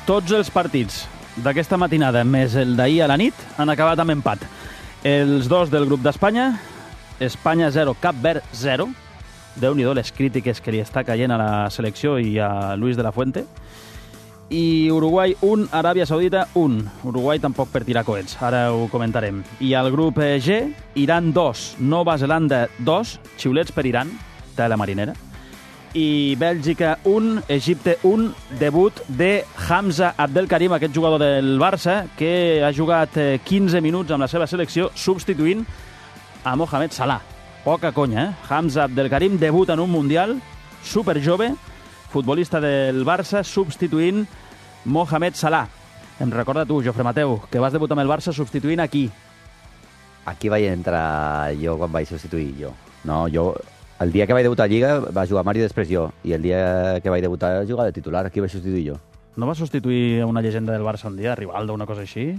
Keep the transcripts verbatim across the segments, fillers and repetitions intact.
Tots els partits d'aquesta matinada, més el d'ahir a la nit, han acabat amb empat. Els dos del grup d'Espanya, Espanya zero, Cap Verd zero. Déu-n'hi-do les crítiques que li està caient a la selecció i a Luis de la Fuente. I Uruguai un, Aràbia Saudita un. Uruguai tampoc per tirar coets, ara ho comentarem. I al grup G, Iran dos, Nova Zelanda dos, xiulets per Iran, de la marinera. I Bèlgica un, Egipte un, debut de Hamza Abdelkarim, aquest jugador del Barça, que ha jugat quinze minuts amb la seva selecció, substituint a Mohamed Salah. Poca conya, eh? Hamza Abdelkarim debuta en un Mundial, superjove, futbolista del Barça, substituint Mohamed Salah. Em recorda tu, Jofre Mateu, que vas debutar amb el Barça substituint aquí. Aquí vaig entrar jo quan vaig substituir jo. No, jo... El dia que vaig debutar a Lliga va jugar Mario, després jo. I el dia que vaig debutar a jugar de titular, aquí vaig substituir jo. No vas substituir una llegenda del Barça un dia, Rivaldo, una cosa així?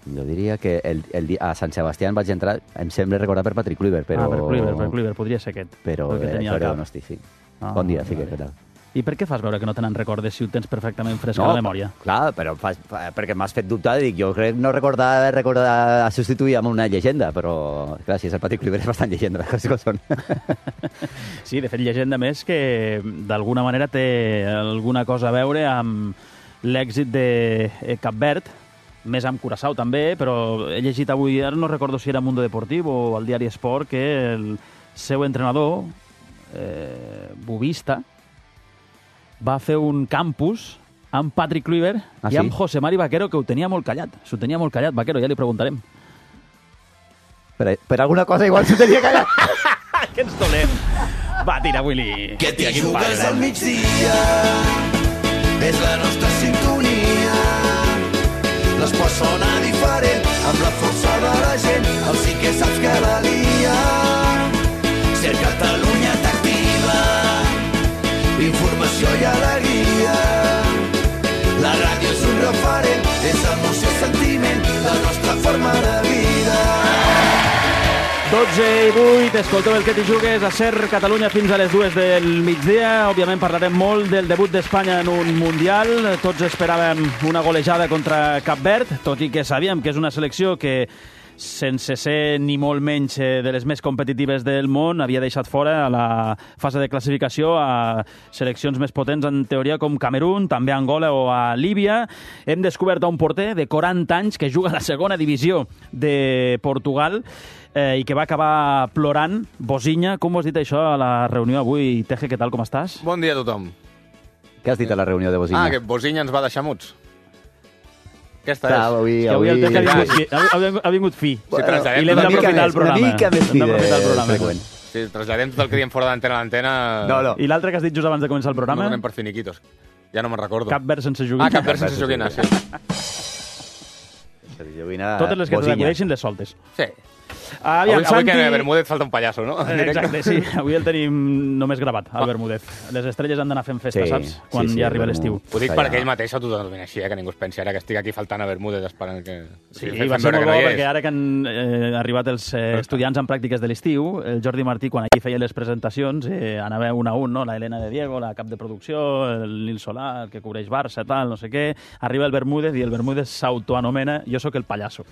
Jo diria que el, el dia, a Sant Sebastián vaig entrar, em sembla recordar per Patrick Kluivert, però... Ah, per Kluivert, per Kluivert, podria ser aquest. Però era no estic, sí. Ah, bon dia, sí que, què tal? I per què fas veure que no te n'en recordes si ho tens perfectament fresc no, a la memòria? Clar, però fas, perquè m'has fet dubtar, dic, jo crec no recordar, recordar substituir amb una llegenda, però clar, si és el Patrick Kluivert és bastant llegenda, les coses com són. Sí, de fet, llegenda més que d'alguna manera té alguna cosa a veure amb l'èxit de Cap Verd, més amb Curaçao també, però he llegit avui, ara no recordo si era Mundo Deportiu o el diari Esport, que el seu entrenador, eh, Bubista, va fer un campus amb Patrick Kluivert ah, i amb sí? José Mari Vaquero, que ho tenia molt callat. S'ho tenia molt callat, Vaquero, ja li preguntarem. Per, per alguna cosa igual s'ho tenia callat. Que ens dolem. Va, tira, Willy. Que t'hi jugues al migdia, és la nostra sintonia. L'esport sona diferent, amb la força de la gent, el sí que saps que la lia. Ser Catalunya t'activa, informació i alegria. La ràdio és un referent, és emoció i sentiment, la nostra forma de vida. dotze i vuit, escolteu el que t'hi jugues a Ser Catalunya fins a les dues del migdia. Òbviament parlarem molt del debut d'Espanya en un Mundial. Tots esperàvem una golejada contra Cap Verd, tot i que sabíem que és una selecció que, sense ser ni molt menys de les més competitives del món, havia deixat fora a la fase de classificació a seleccions més potents en teoria com Camerún, també a Angola o a Líbia. Hem descobert un porter de quaranta anys que juga a la segona divisió de Portugal eh, i que va acabar plorant. Bosinha, com ho has dit això a la reunió avui? Teje, què tal, com estàs? Bon dia a tothom. Què has dit a la reunió de Bosinha? Ah, que Bosinha ens va deixar muts. Aquesta Clar, és. Avui, és que avui, avui... el Teje ha vingut fi. Ha, ha vingut fi. Sí, traslladem, I l'hem d'aprofitar el programa. Una mica més fi de freqüent. Sí, traslladem tot el que diem fora d'antena a l'antena. No, no. I l'altre que has dit just abans de començar el programa? No donem per finiquitos. Ja no me'n recordo. Cap Verd sense joguina. Ah, Cap Verd sense joguina, sí. Totes les que t'acudeixin les soltes. Sí. Aviam, avui, Santi... avui que a Bermúdez falta un pallasso, no? Exacte, sí. Avui el tenim només gravat, al Bermúdez. Les estrelles han d'anar fent festa, sí, saps? Quan sí, sí, ja arriba l'estiu. Ho dic perquè ell mateix s'autodenomina així, eh? Que ningú es pensi ara que estic aquí faltant a Bermúdez esperant que... Sí, sí va ser molt bo perquè ara que han eh, arribat els eh, estudiants en pràctiques de l'estiu, el Jordi Martí, quan aquí feia les presentacions, eh, anava un a un, no? La Helena de Diego, la cap de producció, el Nil Solà, el que cobreix Barça, tal, no sé què. Arriba el Bermúdez i el Bermúdez s'autoanomena jo sóc el pallasso.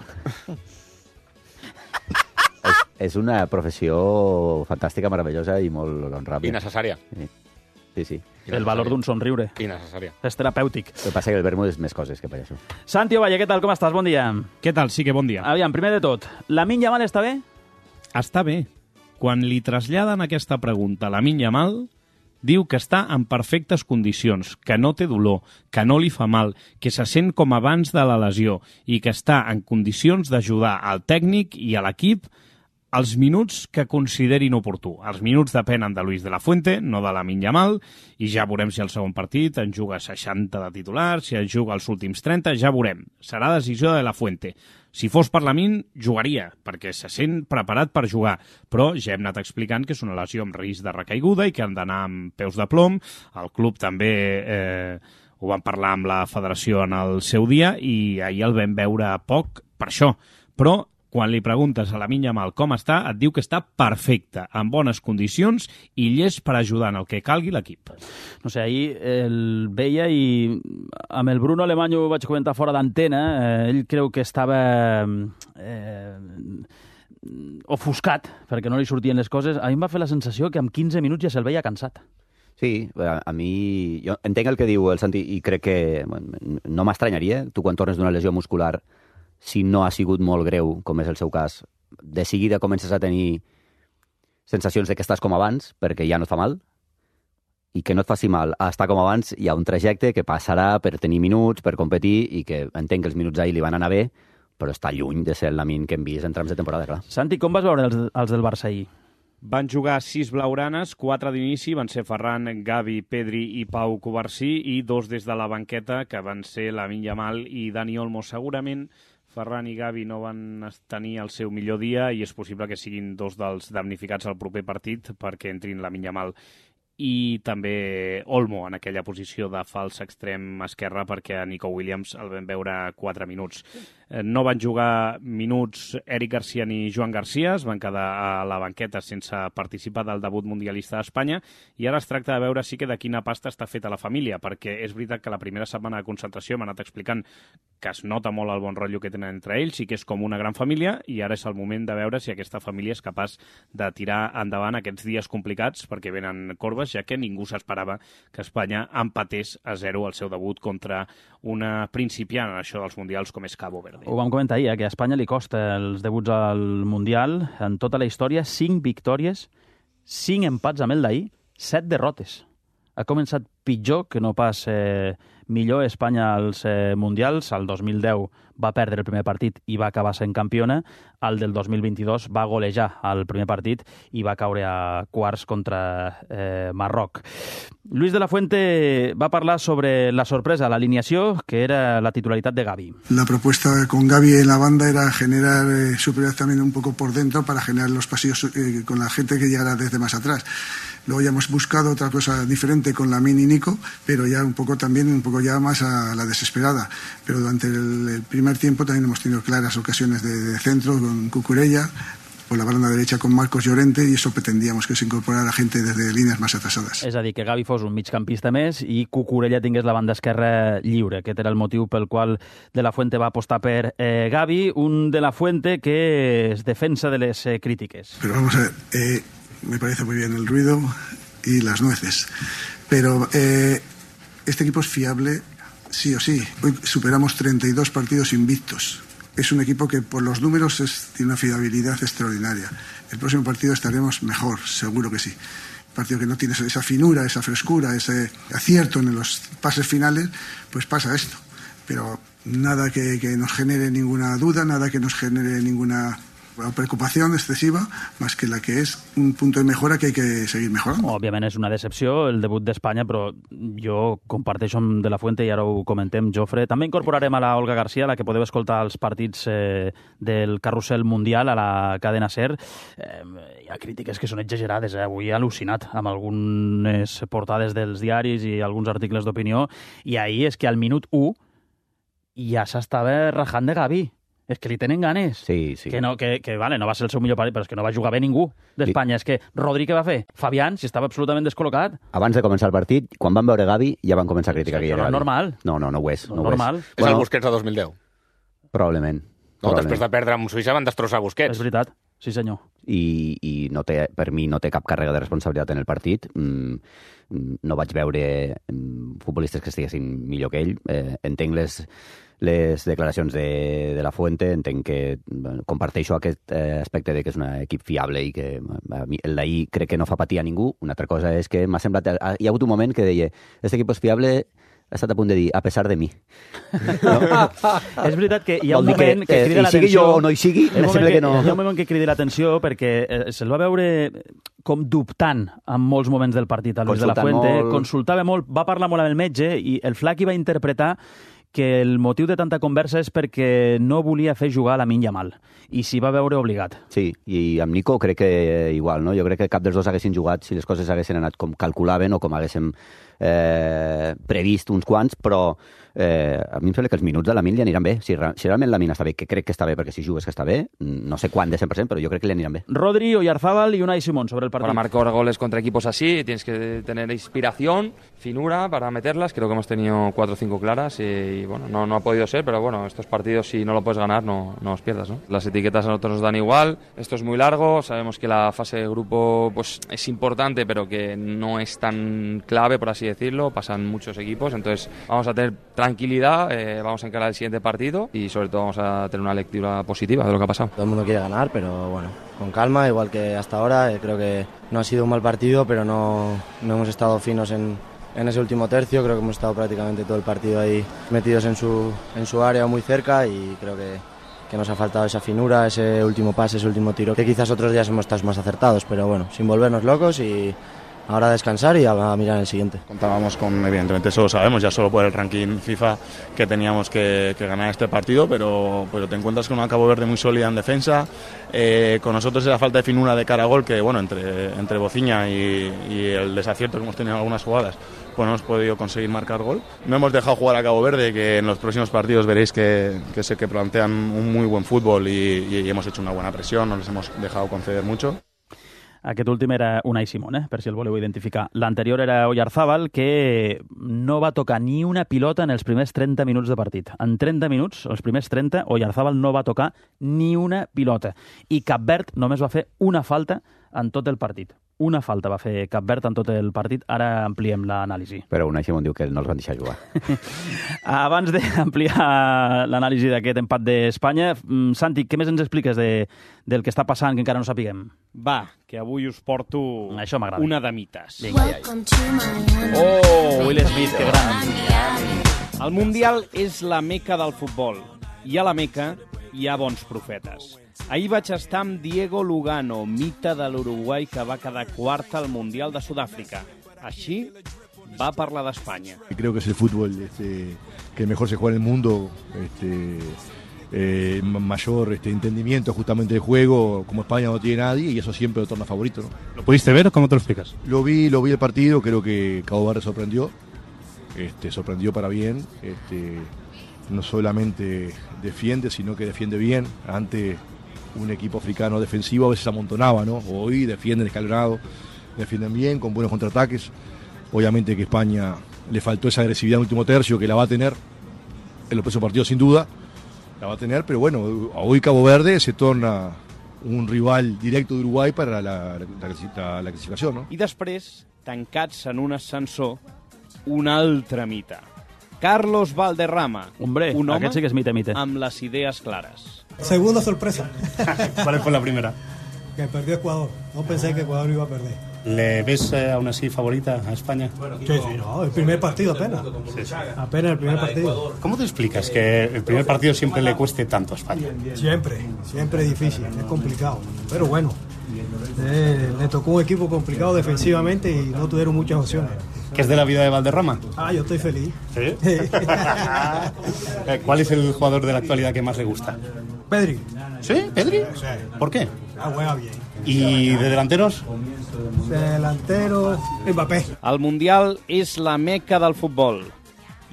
És una professió fantàstica, meravellosa i molt honrable. I necessària. Sí, sí. sí. El valor d'un somriure. I necessària. És terapèutic. El que passa que el Bermúdez és més coses que per això. Santi Ovalle, què tal? Com estàs? Bon dia. Què tal? Sí que bon dia. Aviam, primer de tot, Lamine Yamal està bé? Està bé. Quan li traslladen aquesta pregunta a Lamine Yamal, diu que està en perfectes condicions, que no té dolor, que no li fa mal, que se sent com abans de la lesió i que està en condicions d'ajudar al tècnic i a l'equip els minuts que considerin oportú. Els minuts depenen de Luis de la Fuente, no de Lamine Yamal, i ja veurem si el segon partit en juga seixanta de titular, si en juga els últims trenta, ja veurem. Serà decisió de la Fuente. Si fos per Lamine, jugaria, perquè se sent preparat per jugar, però ja hem anat explicant que és una lesió amb risc de recaiguda i que han d'anar amb peus de plom. El club també eh, ho van parlar amb la federació en el seu dia i ahir el vam veure poc per això. Però Quan li preguntes a Lamine Yamal com està, et diu que està perfecte, en bones condicions i llest per ajudar en el que calgui l'equip. No sé, ahir el veia i amb el Bruno Alemany ho vaig comentar fora d'antena, eh, ell creu que estava eh, ofuscat perquè no li sortien les coses. A mi em va fer la sensació que en quinze minuts ja se'l veia cansat. Sí, a mi... Jo entenc el que diu el Santi i crec que bueno, no m'estranyaria. Tu quan tornes d'una lesió muscular, si no ha sigut molt greu, com és el seu cas, de seguida comences a tenir sensacions de que estàs com abans, perquè ja no et fa mal, i que no et faci mal a estar com abans, hi ha un trajecte que passarà per tenir minuts, per competir, i que entenc que els minuts ahir li van anar bé, però està lluny de ser el Lamine que hem vist en trams de temporada, clar. Santi, com vas veure els, els del Barça ahir? Van jugar sis blaugranes, quatre d'inici, van ser Ferran, Gavi, Pedri i Pau Covarsí, i dos des de la banqueta, que van ser Lamine Yamal i Dani Olmo. Segurament Ferran i Gavi no van tenir el seu millor dia i és possible que siguin dos dels damnificats al proper partit perquè entrin Lamine Yamal i també Olmo en aquella posició de fals extrem esquerre perquè a Nico Williams el vam veure quatre minuts. No van jugar minuts Eric Garcia ni Joan Garcia, es van quedar a la banqueta sense participar del debut mundialista d'Espanya i ara es tracta de veure sí que de quina pasta està feta la família, perquè és veritat que la primera setmana de concentració m'ha anat explicant que es nota molt el bon rotllo que tenen entre ells i que és com una gran família i ara és el moment de veure si aquesta família és capaç de tirar endavant aquests dies complicats perquè venen corbes, ja que ningú s'esperava que Espanya empatés a zero el seu debut contra una principiant en això dels mundials com és Cabo Verde. Ho vam comentar ahir, eh, que a Espanya li costa els debuts al Mundial. En tota la història, cinc victòries, cinc empats amb el d'ahir, set derrotes. Ha començat pitjor que no pas eh, millor Espanya als eh, Mundials. El dos mil deu va perdre el primer partit i va acabar sent campiona. El del dos mil vint-i-dos va golejar el primer partit i va caure a quarts contra eh, Marroc. Luis de la Fuente va parlar sobre la sorpresa, l'alineació, que era la titularitat de Gavi. La propuesta con Gavi en la banda era generar eh, superioridad también un poco por dentro para generar los pasillos eh, con la gente que llegara desde más atrás. Luego ya hemos buscado otra cosa diferente con Lamine y Nico, pero ya un poco también, un poco ya más a la desesperada. Pero durante el, el primer tiempo también hemos tenido claras ocasiones de, de centro con Cucurella, por la banda derecha con Marcos Llorente, y eso pretendíamos que se incorporara gente desde líneas más atrasadas. És a dir, que Gavi fos un migcampista més i Cucurella tingués la banda esquerra lliure. Aquest era el motiu pel qual De la Fuente va apostar per eh, Gavi, un De la Fuente que es defensa de les eh, crítiques. Pero vamos a ver, eh, me parece muy bien el ruido y las nueces, pero eh, este equipo es fiable sí o sí. Hoy superamos treinta y dos partidos invictos. Es un equipo que por los números es, tiene una fiabilidad extraordinaria. El próximo partido estaremos mejor, seguro que sí. Un partido que no tiene esa finura, esa frescura, ese acierto en los pases finales, pues pasa esto. Pero nada que, que nos genere ninguna duda, nada que nos genere ninguna preocupación excesiva, más que la que es un punto de mejora que hay que seguir mejorando. Òbviament és una decepció el debut d'Espanya, però jo comparteixo amb De la Fuente i ara ho comentem, Jofre. També incorporarem a la Olga Garcia, la que podeu escoltar els partits eh, del carrusel mundial a la cadena SER. Eh, hi ha crítiques que són exagerades, eh? Avui he al·lucinat amb algunes portades dels diaris i alguns articles d'opinió, i ahir és que al minut u ja s'estava rajant de Gavi. És que li tenen ganes. Sí, sí. Que, no, que, que vale, no va ser el seu millor partit, però és que no va jugar bé ningú d'Espanya. Sí. És que Rodri què va fer? Fabián, si estava absolutament descol·locat. Abans de començar el partit, quan van veure Gavi, ja van començar a criticar sí, que no era és normal. No, no, no ho és. No, no normal. Ho és. És Bueno, el Busquets de dos mil deu. Probablement. No, probablement. després de perdre amb Suïssa van destrossar Busquets. És veritat, sí senyor. I, i no té, per mi no té cap càrrega de responsabilitat en el partit. Mm, no vaig veure mm, futbolistes que estiguessin millor que ell. Eh, entenc les, les declaracions de, de la Fuente, entenc que bueno, comparteixo aquest eh, aspecte de que és un equip fiable i que a mi, el d'ahir crec que no fa patir a ningú. Una altra cosa és que m'ha semblat... Hi ha hagut un moment que deia este equip és fiable, ha estat a punt de dir, a pesar de mi. No? És veritat que hi ha Vol un dir que, moment que, que crida eh, l'atenció... sigui jo o no hi sigui, Hi ha me un sembla moment que no... Hi ha un moment que crida l'atenció perquè eh, se'l va veure com dubtant en molts moments del partit a Luis de la Consultant Fuente, molt. consultava molt, va parlar molt amb el metge i el Flaqui va interpretar que el motiu de tanta conversa és perquè no volia fer jugar a Lamine Yamal i s'hi va veure obligat. Sí, i amb Nico crec que igual, no? Jo crec que cap dels dos haguessin jugat si les coses haguessin anat com calculaven o com haguéssim eh, previst uns quants, però eh, a mi em sembla que els minuts de Lamine li aniran bé. Si, si realment Lamine està bé, que crec que està bé, perquè si jugues que està bé, no sé quan de cent per cent, però jo crec que li aniran bé. Rodri, Oyarzábal y Unai Simón sobre el partido. Para marcar goles contra equipos así tienes que tener inspiración, finura para meterlas. Creo que hemos tenido cuatro o cinco claras y, bueno, no, no ha podido ser, pero bueno, estos partidos si no lo puedes ganar no, no los pierdas, ¿no? Las etiquetas a nosotros nos dan igual, esto es muy largo, sabemos que la fase de grupo pues es importante, pero que no es tan clave, por así decirlo, pasan muchos equipos, entonces vamos a tener tranquilidad, eh, vamos a encarar el siguiente partido y sobre todo vamos a tener una lectura positiva de lo que ha pasado. Todo el mundo quiere ganar, pero bueno, con calma, igual que hasta ahora. Eh, creo que no ha sido un mal partido, pero no, no hemos estado finos en, en ese último tercio. Creo que hemos estado prácticamente todo el partido ahí metidos en su, en su área, muy cerca, y creo que, que nos ha faltado esa finura, ese último pase, ese último tiro, que quizás otros días hemos estado más acertados, pero bueno, sin volvernos locos y ahora a descansar y a, a mirar el siguiente. Contábamos con, evidentemente eso lo sabemos, ya solo por el ranking FIFA, que teníamos que, que ganar este partido, pero, pero te encuentras con una Cabo Verde muy sólida en defensa, eh, con nosotros esa falta de finura de cara a gol, que bueno, entre, entre Bociña y, y el desacierto que hemos tenido en algunas jugadas, pues no hemos podido conseguir marcar gol. No hemos dejado jugar a Cabo Verde, que en los próximos partidos veréis que, que sé que plantean un muy buen fútbol y, y, y hemos hecho una buena presión, no les hemos dejado conceder mucho. Aquest últim era Unai Simón, eh? Per si el voleu identificar. L'anterior era Oyarzábal, que no va tocar ni una pilota en els primers trenta minuts de partit. En trenta minuts, els primers trenta, Oyarzábal no va tocar ni una pilota. I Cap Verd només va fer una falta en tot el partit. Una falta va fer Cap Verd en tot el partit. Ara ampliem l'anàlisi. Però Unai Simón diu que no els van deixar jugar. Abans d'ampliar l'anàlisi d'aquest empat d'Espanya, Santi, què més ens expliques de, del que està passant que encara no sapiguem? Va, que avui us porto Això m'agrada. una de mites. Vinga, ja. Oh, Will Smith, que gran. El Mundial és la meca del futbol. I a la meca hi ha bons profetes. Ahir vaig estar amb Diego Lugano, mite de l'Uruguai que va quedar quart al Mundial de Sudàfrica. Així va parlar d'Espanya. Creo que es el fútbol este, que mejor se juega en el mundo, este, eh, mayor este, entendimiento justamente del juego, como España no tiene nadie, y eso siempre lo torna favorito, ¿no? ¿Lo pudiste ver o cómo te lo explicas? Lo vi, lo vi el partido, creo que Cabo Verde sorprendió, este, sorprendió para bien, este, no solamente defiende, sino que defiende bien. Ante un equipo africano defensivo a veces amontonaba, ¿no? Hoy defienden escalonado, defienden bien, con buenos contraataques. Obviamente que España le faltó esa agresividad en el último tercio, que la va a tener en los próximos partidos sin duda, la va a tener, pero bueno, hoy Cabo Verde se torna un rival directo de Uruguay para la, la, la, la clasificación, ¿no? I després, tancats en un ascensor, un altre mite. Carlos Valderrama, Hombre, un home aquest sí que és mite, mite. amb les idees clares. Segunda sorpresa. ¿Cuál fue la primera? Que perdió Ecuador. No pensé que Ecuador iba a perder. ¿Le ves eh, aún así favorita a España? Sí, sí, no, el primer partido apenas. Sí, sí. Apenas el primer partido. ¿Cómo te explicas que el primer partido siempre le cueste tanto a España? Siempre, siempre difícil, es complicado. Pero bueno, eh, le tocó un equipo complicado defensivamente y no tuvieron muchas opciones. ¿Qué es de la vida de Valderrama? Ah, yo estoy feliz. ¿Sí? ¿Cuál es el jugador de la actualidad que más le gusta? Pedri. ¿Sí? ¿Pedri? Sí. ¿Por qué? Ah, juega bien. ¿Y de delanteros? De delantero, Mbappé. El Mundial és la meca del futbol.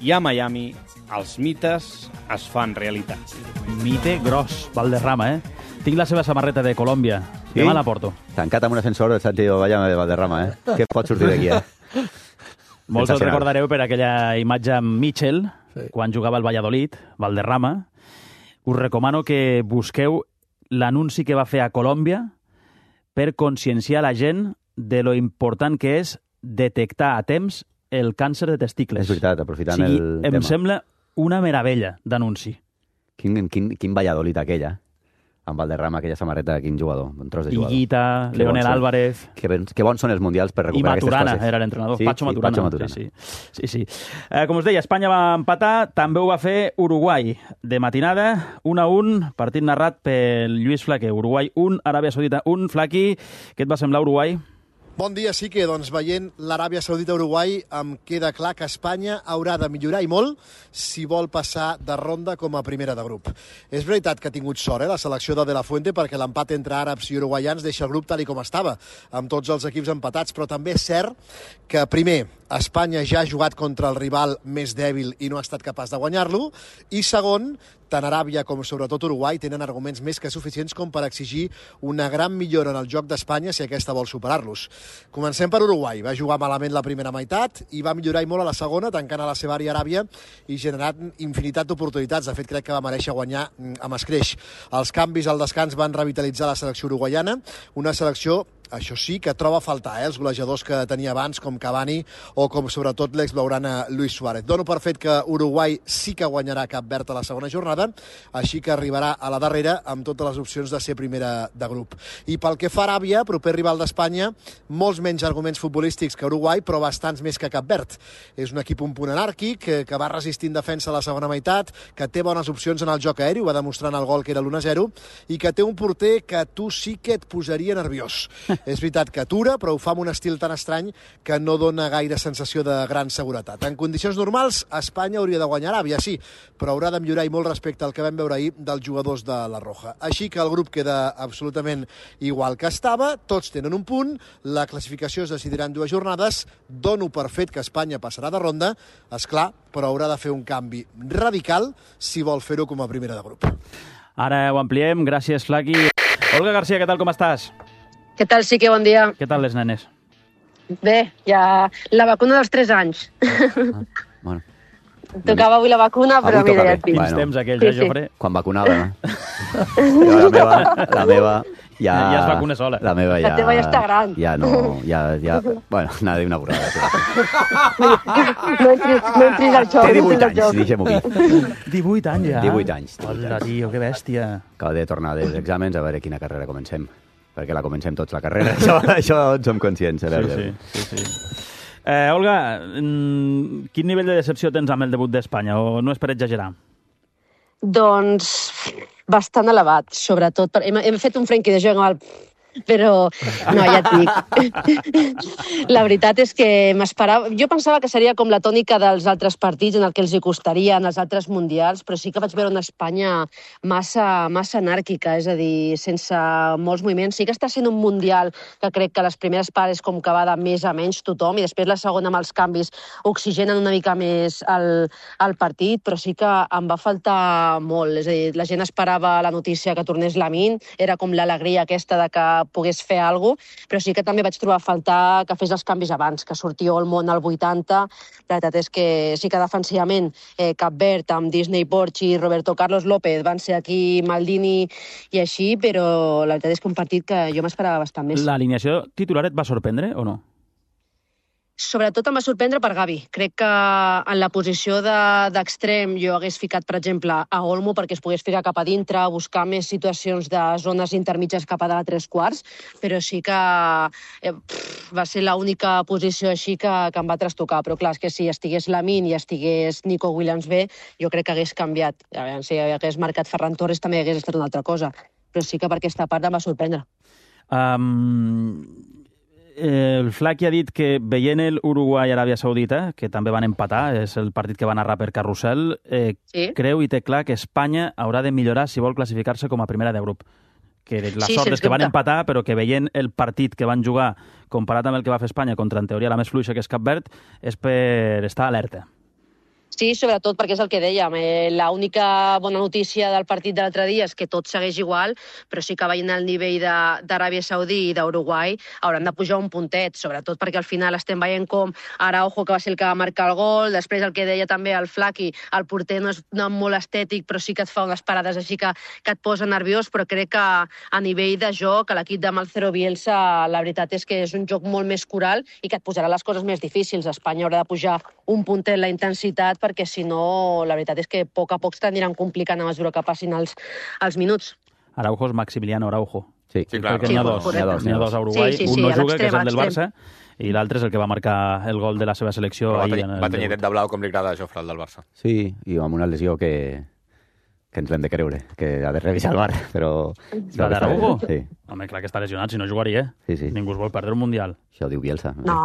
I a Miami, els mites es fan realitat. Mite gros, Valderrama, eh? Tinc la seva samarreta de Colòmbia. Sí? Demà la porto. Tancat amb un ascensor el Santiago Vallama de Valderrama, eh? Què pot sortir d'aquí, eh? Molts el recordareu per aquella imatge amb Mitchell, sí, quan jugava al Valladolid, Valderrama. Us recomano que busqueu l'anunci que va fer a Colòmbia per conscienciar la gent de lo important que és detectar a temps el càncer de testicles. És veritat, aprofitant o sigui, el em tema. Em sembla una meravella d'anunci. Quin, quin, quin Valladolid aquella, amb Valderrama, aquella samarreta, quin jugador, un tros de jugador. Higuita, Que Leonel bons són. Álvarez... Que, ben, que bons són els mundials per I recuperar aquestes Maturana coses. era l'entrenador, sí, Pacho sí, Maturana. Pacho Maturana. Sí, sí. sí, sí. Eh, com us deia, Espanya va empatar, també ho va fer Uruguai. De matinada, un a un, partit narrat pel Lluís Flaquer. Uruguai un, Aràbia Saudita un. Flaqui, què et va semblar Uruguai? Bon dia, sí que doncs, veient l'Aràbia Saudita-Uruguai em queda clar que Espanya haurà de millorar i molt si vol passar de ronda com a primera de grup. És veritat que ha tingut sort eh, la selecció de De La Fuente, perquè l'empat entre àrabs i uruguaians deixa el grup tal i com estava, amb tots els equips empatats, però també és cert que, primer, Espanya ja ha jugat contra el rival més dèbil i no ha estat capaç de guanyar-lo. I segon, tant Aràbia com sobretot Uruguai tenen arguments més que suficients com per exigir una gran millora en el joc d'Espanya si aquesta vol superar-los. Comencem per Uruguai. Va jugar malament la primera meitat i va millorar i molt a la segona, tancant a la seva àrea Aràbia i generant infinitat d'oportunitats. De fet, crec que va mereixer guanyar amb escreix. Els canvis al descans van revitalitzar la selecció uruguaiana, una selecció això sí, que troba a faltar, eh, els golejadors que tenia abans, com Cavani o com sobretot l'ex-blaugrana Luis Suárez. Dono per fet que Uruguai sí que guanyarà Cap Verd a la segona jornada, així que arribarà a la darrera amb totes les opcions de ser primera de grup. I pel que fa a Aràbia, proper rival d'Espanya, molts menys arguments futbolístics que Uruguai, però bastants més que Cap Verd. És un equip un punt anàrquic, que, que va resistir en defensa a la segona meitat, que té bones opcions en el joc aeri, ho va demostrar en el gol que era l'u a zero, i que té un porter que tu sí que et posaria nerviós. És veritat que atura, però ho fa amb un estil tan estrany que no dona gaire sensació de gran seguretat. En condicions normals, Espanya hauria de guanyar Aràbia, sí, però haurà de millorar i molt respecte al que vam veure ahir dels jugadors de la Roja. Així que el grup queda absolutament igual que estava, tots tenen un punt, la classificació es decidirà en dues jornades, dono per fet que Espanya passarà de ronda, és clar, però haurà de fer un canvi radical si vol fer-ho com a primera de grup. Ara ho ampliem, gràcies, Flaqui. Olga García, què tal, com estàs? Què tal, sí que bon dia. Què tal les nenes? Bé, ja la vacuna dels tres anys. Ah, bueno. Tocava avui la vacuna, però avui mira, ja et bé. dic. Quins temps aquells, Sí, eh, sí. Jofre? Quan vacunava, no? Jo, la meva, la meva ja... Ja es vacuna sola. La meva ja... La teva ja està gran. Ja no, ja... ja bueno, anava a dir una borrada. No entris, no entris al joc. Té no divuit entris al anys, joc. deixem-ho aquí. divuit anys ja? divuit anys. Hola, tio, que bèstia. Acabo de tornar dels exàmens a veure quina carrera comencem. Perquè la comencem tots, la carrera. Això, això en som conscients. A veure. Sí, sí, sí, sí. Eh, Olga, mm, quin nivell de decepció tens amb el debut d'Espanya? O no és per exagerar? Doncs bastant elevat, sobretot. Per... Hem, hem fet un Frenkie de Jong al... Però, no, ja et dic. La veritat és que m'esperava... Jo pensava que seria com la tònica dels altres partits en el que els hi costaria en els altres mundials, però sí que vaig veure una Espanya massa, massa anàrquica, és a dir, sense molts moviments. Sí que està sent un mundial que crec que les primeres parts és com que va de més a menys tothom i després la segona amb els canvis oxigenen una mica més el, el partit, però sí que em va faltar molt. És a dir, la gent esperava la notícia que tornés Lamine, era com l'alegria aquesta de que pogués fer alguna cosa, però sí que també vaig trobar a faltar que fes els canvis abans, que sortia Olmo al vuitanta. La veritat és que sí que defensivament eh, Cap Verd amb Disney Borchi i Roberto Carlos López van ser aquí Maldini i així, però la veritat és que un partit que jo m'esperava bastant més. L'alineació titular et va sorprendre o no? Sobretot em va sorprendre per Gavi. Crec que en la posició d'extrem de, jo hagués ficat, per exemple, a Olmo perquè es pogués ficar cap a dintre, buscar més situacions de zones intermitges cap a dalt tres quarts, però sí que eh, pff, va ser l'única posició així que, que em va trastocar. Però clar, és que si estigués Lamine i estigués Nico Williams bé, jo crec que hagués canviat. A veure, si hagués marcat Ferran Torres també hagués estat una altra cosa. Però sí que per aquesta part em va sorprendre. Um... El Flaqui ha dit que veient el Uruguai-Aràbia Saudita, que també van empatar, és el partit que va narrar per Carrusel, eh, sí. creu i té clar que Espanya haurà de millorar si vol classificar-se com a primera de grup. Que la sí, sort és que van empatar, però que veient el partit que van jugar comparat amb el que va fer Espanya contra, en teoria, la més fluixa que és Cap Verd, és per estar alerta. Sí, sobretot perquè és el que dèiem. Eh, l'única bona notícia del partit de l'altre dia és que tot segueix igual, però sí que veient el nivell d'Aràbia Saudí i d'Uruguai hauran de pujar un puntet, sobretot perquè al final estem veient com Araujo, que va ser el que va marcar el gol, després el que deia també el Flaqui, el porter no és no molt estètic, però sí que et fa unes parades així que, que et posa nerviós, però crec que a nivell de joc, a l'equip de Marcelo Bielsa, la veritat és que és un joc molt més coral i que et posarà les coses més difícils. Espanya haurà de pujar un puntet la intensitat perquè si no, la veritat és que a poc a poc t'aniran complicant a mesura que passin els, els minuts. Araujo és Maximiliano Araujo. Sí, sí clar. N'hi ha dos, n'hi ha dos, n'hi ha dos a Uruguai. Sí, sí, sí, un no juga, que és el del l'extrem. Barça, i l'altre és el que va marcar el gol de la seva selecció va ahir. tenir, En el va tenir net de blau, com li agrada a Jofre, el del Barça. Sí, i amb una lesió que, que ens l'hem de creure, que ha de revisar el bar, però... La d'Araujo? Sí. Home, clar que està lesionat, si no jugaria. Sí, sí. Ningú es vol perdre un Mundial. Això ho diu Bielsa. No,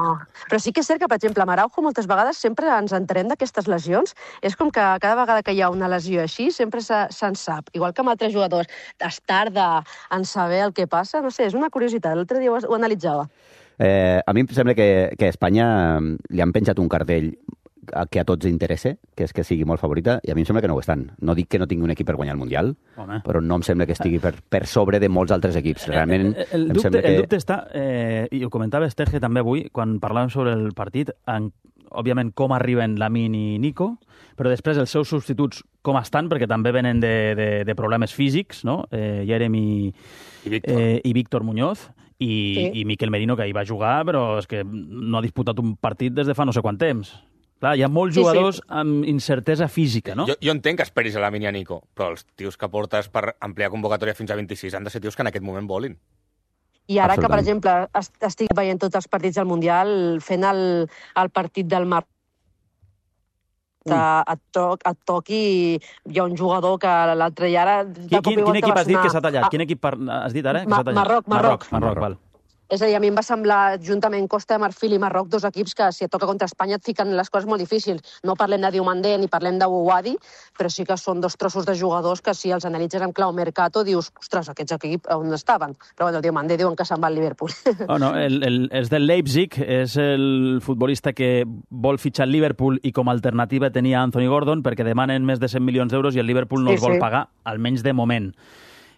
però sí que és cert que, per exemple, amb Araujo moltes vegades sempre ens entenem d'aquestes lesions. És com que cada vegada que hi ha una lesió així, sempre se'n se sap. Igual que amb altres jugadors, es tarda en saber el que passa. No sé, és una curiositat. L'altre dia ho, ho analitzava. Eh, a mi em sembla que, que a Espanya li han penjat un cartell que a tots interessa, que és que sigui molt favorita, i a mi em sembla que no ho estan. No dic que no tingui un equip per guanyar el Mundial, Home. però no em sembla que estigui per, per sobre de molts altres equips. Realment, el, el, em dubte, sembla que... el dubte està, eh, i ho comentava Esterge també avui, quan parlàvem sobre el partit, en, òbviament com arriben Lamine i Nico, però després els seus substituts com estan, perquè també venen de, de, de problemes físics, no? Eh, Jeremy I Víctor, eh, i Víctor Muñoz, i, Sí. i Miquel Merino, que hi va jugar, però és que no ha disputat un partit des de fa no sé quant temps. Clar, hi ha molts Sí, sí. jugadors amb incertesa física, no? Jo, jo entenc que esperis a Lamine i a Nico, però els tios que portes per ampliar convocatòria fins a vint-i-sis han de ser tios que en aquest moment volin. I ara que, per Absolutament. exemple, est- estic veient tots els partits del Mundial, fent el, el partit del Mar a, a, toc, a toqui hi ha un jugador que l'altre i ara... de Quin, cop i quin, quin volta equip va has dit sonar- que s'ha tallat? Ah, Quin equip par... has dit ara? Que Ma- s'ha tallat? Marroc, Marroc. Marroc, Marroc, val. És a dir, a mi em va semblar, juntament Costa de Marfil i Marroc, dos equips que, si et toca contra Espanya, et fiquen les coses molt difícils. No parlem de Diomandé ni parlem de Ouadi, però sí que són dos trossos de jugadors que, si els analitzes en clau mercato, dius, ostres, aquests equips on estaven? Però bueno, Diomandé diuen que se'n va al Liverpool. Oh, no, el, el, és del Leipzig, és el futbolista que vol fitxar el Liverpool i com a alternativa tenia Anthony Gordon perquè demanen més de cent milions d'euros i el Liverpool no Sí, els vol sí. pagar, almenys de moment.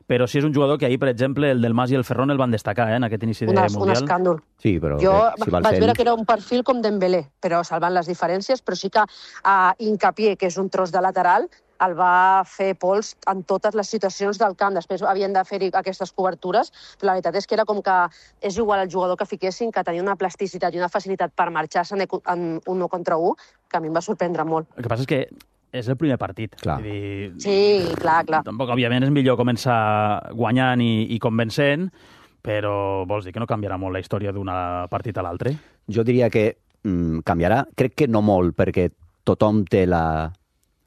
Però sí és un jugador que ahir, per exemple, el del Mas i el Ferrón el van destacar eh, en aquest inici de Un, es- un Mundial. escàndol. Sí, però Jo que, si va al vaig cent... veure que era un perfil com Dembélé, però salvant les diferències, però sí que uh, Hincapié, que és un tros de lateral, el va fer pols en totes les situacions del camp. Després havien de fer aquestes cobertures, però la veritat és que era com que és igual el jugador que fiquessin, que tenia una plasticitat i una facilitat per marxar-se en, ecu- en un no contra un, que a mi em va sorprendre molt. El que passa és que és el primer partit. Clar. Vull dir, Sí, clar, clar. tampoc, òbviament, és millor començar guanyant i, i convencent, però vols dir que no canviarà molt la història d'un partit a l'altre? Jo diria que mm, canviarà. Crec que no molt, perquè tothom té la,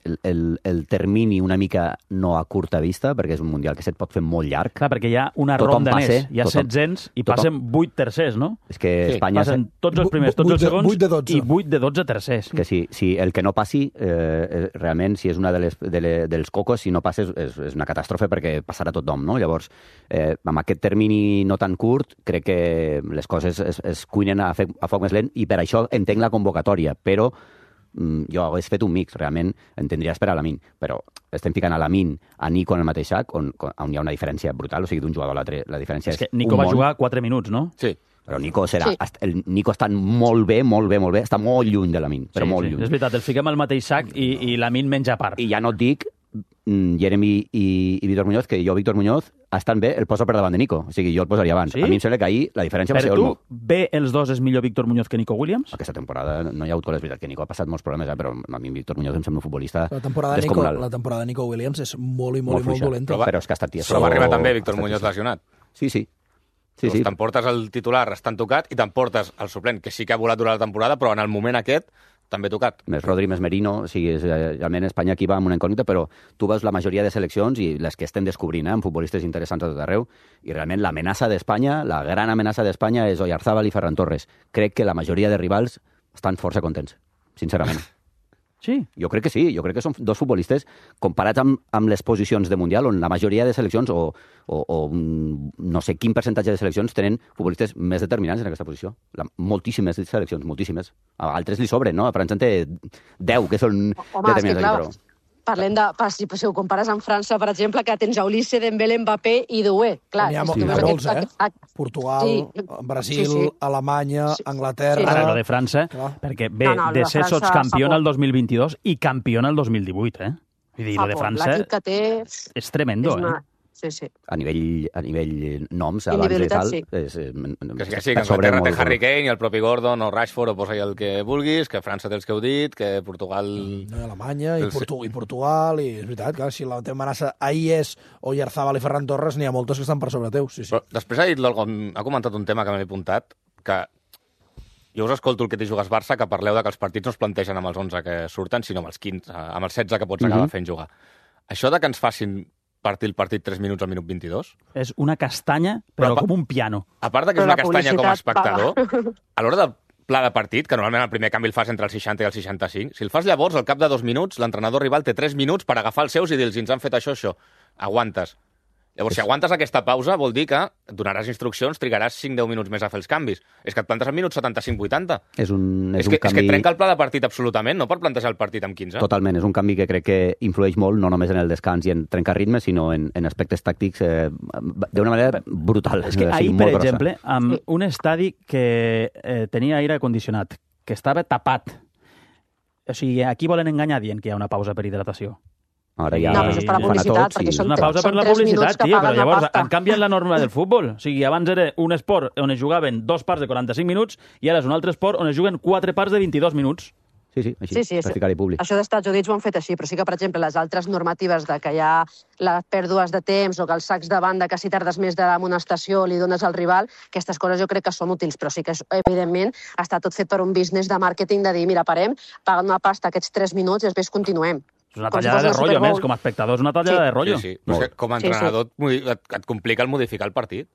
el, el, el termini una mica no a curta vista, perquè és un Mundial que se't pot fer molt llarg. Clar, perquè hi ha una Tothom ronda passe, més. Hi ha tothom- setzents i tothom- passen vuit tercers, no? És que Sí, Espanya... Passen tots els primers, tots vuit els de- segons vuit de dotze. i vuit de dotze tercers. que si, si el que no passi, eh, realment, si és una de les, de le, dels cocos, si no passa és, és, és una catàstrofe perquè passarà a tothom, no? Llavors, eh, amb aquest termini no tan curt, crec que les coses es, es cuinen a, fe, a foc més lent i per això entenc la convocatòria, però mm, jo hagués fet un mix, realment entendria esperar a Lamine, però estem ficant a Lamine, a Nico en el mateix sac, on, on hi ha una diferència brutal, o sigui, d'un jugador a l'altre, la diferència És és, que Nico un va món. jugar quatre minuts, no? Sí. Però Nico serà... Sí. Sí. El Nico està molt bé, molt bé, molt bé, està molt lluny de Lamine, però sí, molt sí. lluny. És veritat, el fiquem al mateix sac i, i Lamine menja a part. I ja no et dic mm, Jeremy i, i Víctor Muñoz, que jo, Víctor Muñoz, estan bé, el poso per davant de Nico. O sigui, jo el posaria abans. Sí? A mi em sembla que ahir la diferència Per va ser tu, molt... bé els dos és millor Víctor Muñoz que Nico Williams? Aquesta temporada no hi ha hagut col·les, veritat que Nico ha passat molts problemes, eh? Però a mi Víctor Muñoz em sembla un futbolista La temporada, de Nico, descomunal. la temporada de Nico Williams és molt i molt, Molt i molt fluixa. dolenta. Però, però és que ha estat tieso. Però va arribar també Víctor ha estat Muñoz tieso. lesionat. Sí, sí. Sí, Doncs sí. t'emportes el titular estant tocat i t'emportes el suplent, que sí que ha volat durant la temporada, però en el moment aquest també tocat. Més Rodri, més Merino, o sigui, és, eh, realment Espanya aquí va amb una incògnita, però tu veus la majoria de seleccions i les que estem descobrint, eh, amb futbolistes interessants a tot arreu, i realment l'amenaça d'Espanya, la gran amenaça d'Espanya és Oyarzábal i Ferran Torres. Crec que la majoria de rivals estan força contents, sincerament. Sí. Jo crec que sí, jo crec que són dos futbolistes comparats amb, amb les posicions de Mundial, on la majoria de seleccions, o, o, o un, no sé quin percentatge de seleccions, tenen futbolistes més determinants en aquesta posició. La, moltíssimes seleccions, moltíssimes. A altres li sobren, no? A França en té deu, que són Home, és que determinants. clar, Aquí, però... parlem de... pa- Si, si ho compares amb França, per exemple, que tens a Ulisse, Dembélé, Mbappé i Doué. Clar, N'hi ha, és mo- que n'hi ha aquest- molts, eh? aquest- aquest- Portugal, Sí. Brasil, Sí, sí. Alemanya, Sí. Anglaterra... Ara, lo de França, Clar. perquè bé, No, no, lo de de ser França sotscampion fa el por. dos mil vint-i-dos i campion el dos mil divuit, eh? Vull dir, fa lo de por. França L'equip que té és tremendo, és una... eh? Sí, sí. A nivell, a nivell noms, abans de Individualitat, tal... sí. És, és, Que sí, que sí, que Anglaterra té Harry Kane i el propi Gordon o Rashford o posa-hi el que vulguis, que França té els que heu dit, que Portugal... No, i Alemanya i, El- Portu i Portugal, i és veritat, clar, si la teva amenaça ahir és Oyarzábal i Ferran Torres, n'hi ha moltes que estan per sobre teu, sí, sí. Però després ha dit algun, ha comentat un tema que m'he apuntat, que jo us escolto el que t'hi jugues Barça, que parleu de que els partits no es plantegen amb els onze que surten, sinó amb els quinze, amb els setze que pots acabar Mhm. fent jugar. Això de que ens facin partir el partit tres minuts al minut vint-i-dos, És una castanya, però, Però pa- com un piano. a part de que és Però una la castanya com a publicitat espectador, a l'hora del pla de partit, que normalment el primer canvi el fas entre el seixanta i el seixanta-cinc, si el fas llavors, al cap de dos minuts, l'entrenador rival té tres minuts per agafar els seus i dir-los, ens han fet això, això, aguantes. Llavors, si aguantes aquesta pausa, vol dir que donaràs instruccions, trigaràs cinc a deu minuts més a fer els canvis. És que et plantes en minuts setanta-cinc vuitanta. És un, és és, un que, canvi... és que trenca el pla de partit absolutament, no per plantejar el partit amb quinze. Totalment, és un canvi que crec que influeix molt, no només en el descans i en trencar ritmes, sinó en, en aspectes tàctics eh, d'una manera brutal. És que o sigui, ahir, molt per grossa. exemple, amb un estadi que eh, tenia aire condicionat, que estava tapat, o sigui, aquí volen enganyar dient que hi ha una pausa per hidratació. Ara ja No, però això és per la publicitat, perquè És són, una pausa per són la tres publicitat, minuts que tio, però paguen la llavors pasta. han canviat la norma del futbol. O sigui, abans era un esport on es jugaven dos parts de quaranta-cinc minuts i ara és un altre esport on es juguen quatre parts de vint-i-dos minuts. Sí, sí, així, Sí, sí, per ficar-hi públic. això dels Estats Units ho han fet així, però sí que, per exemple, les altres normatives de que hi ha les pèrdues de temps o que els sacs de banda, que si tardes més d'amonestació li dones al rival, aquestes coses jo crec que són útils, però sí que, evidentment, està tot fet per un business de màrqueting de dir, mira, parem, paguen una pasta aquests tres minuts i després continuem. És una Com si tallada fos de una rotllo, Super Bowl. més, com a espectador és una tallada Sí. de rotllo. Sí, sí. Però és que com a Sí, sí. entrenador et, et complica el modificar el partit.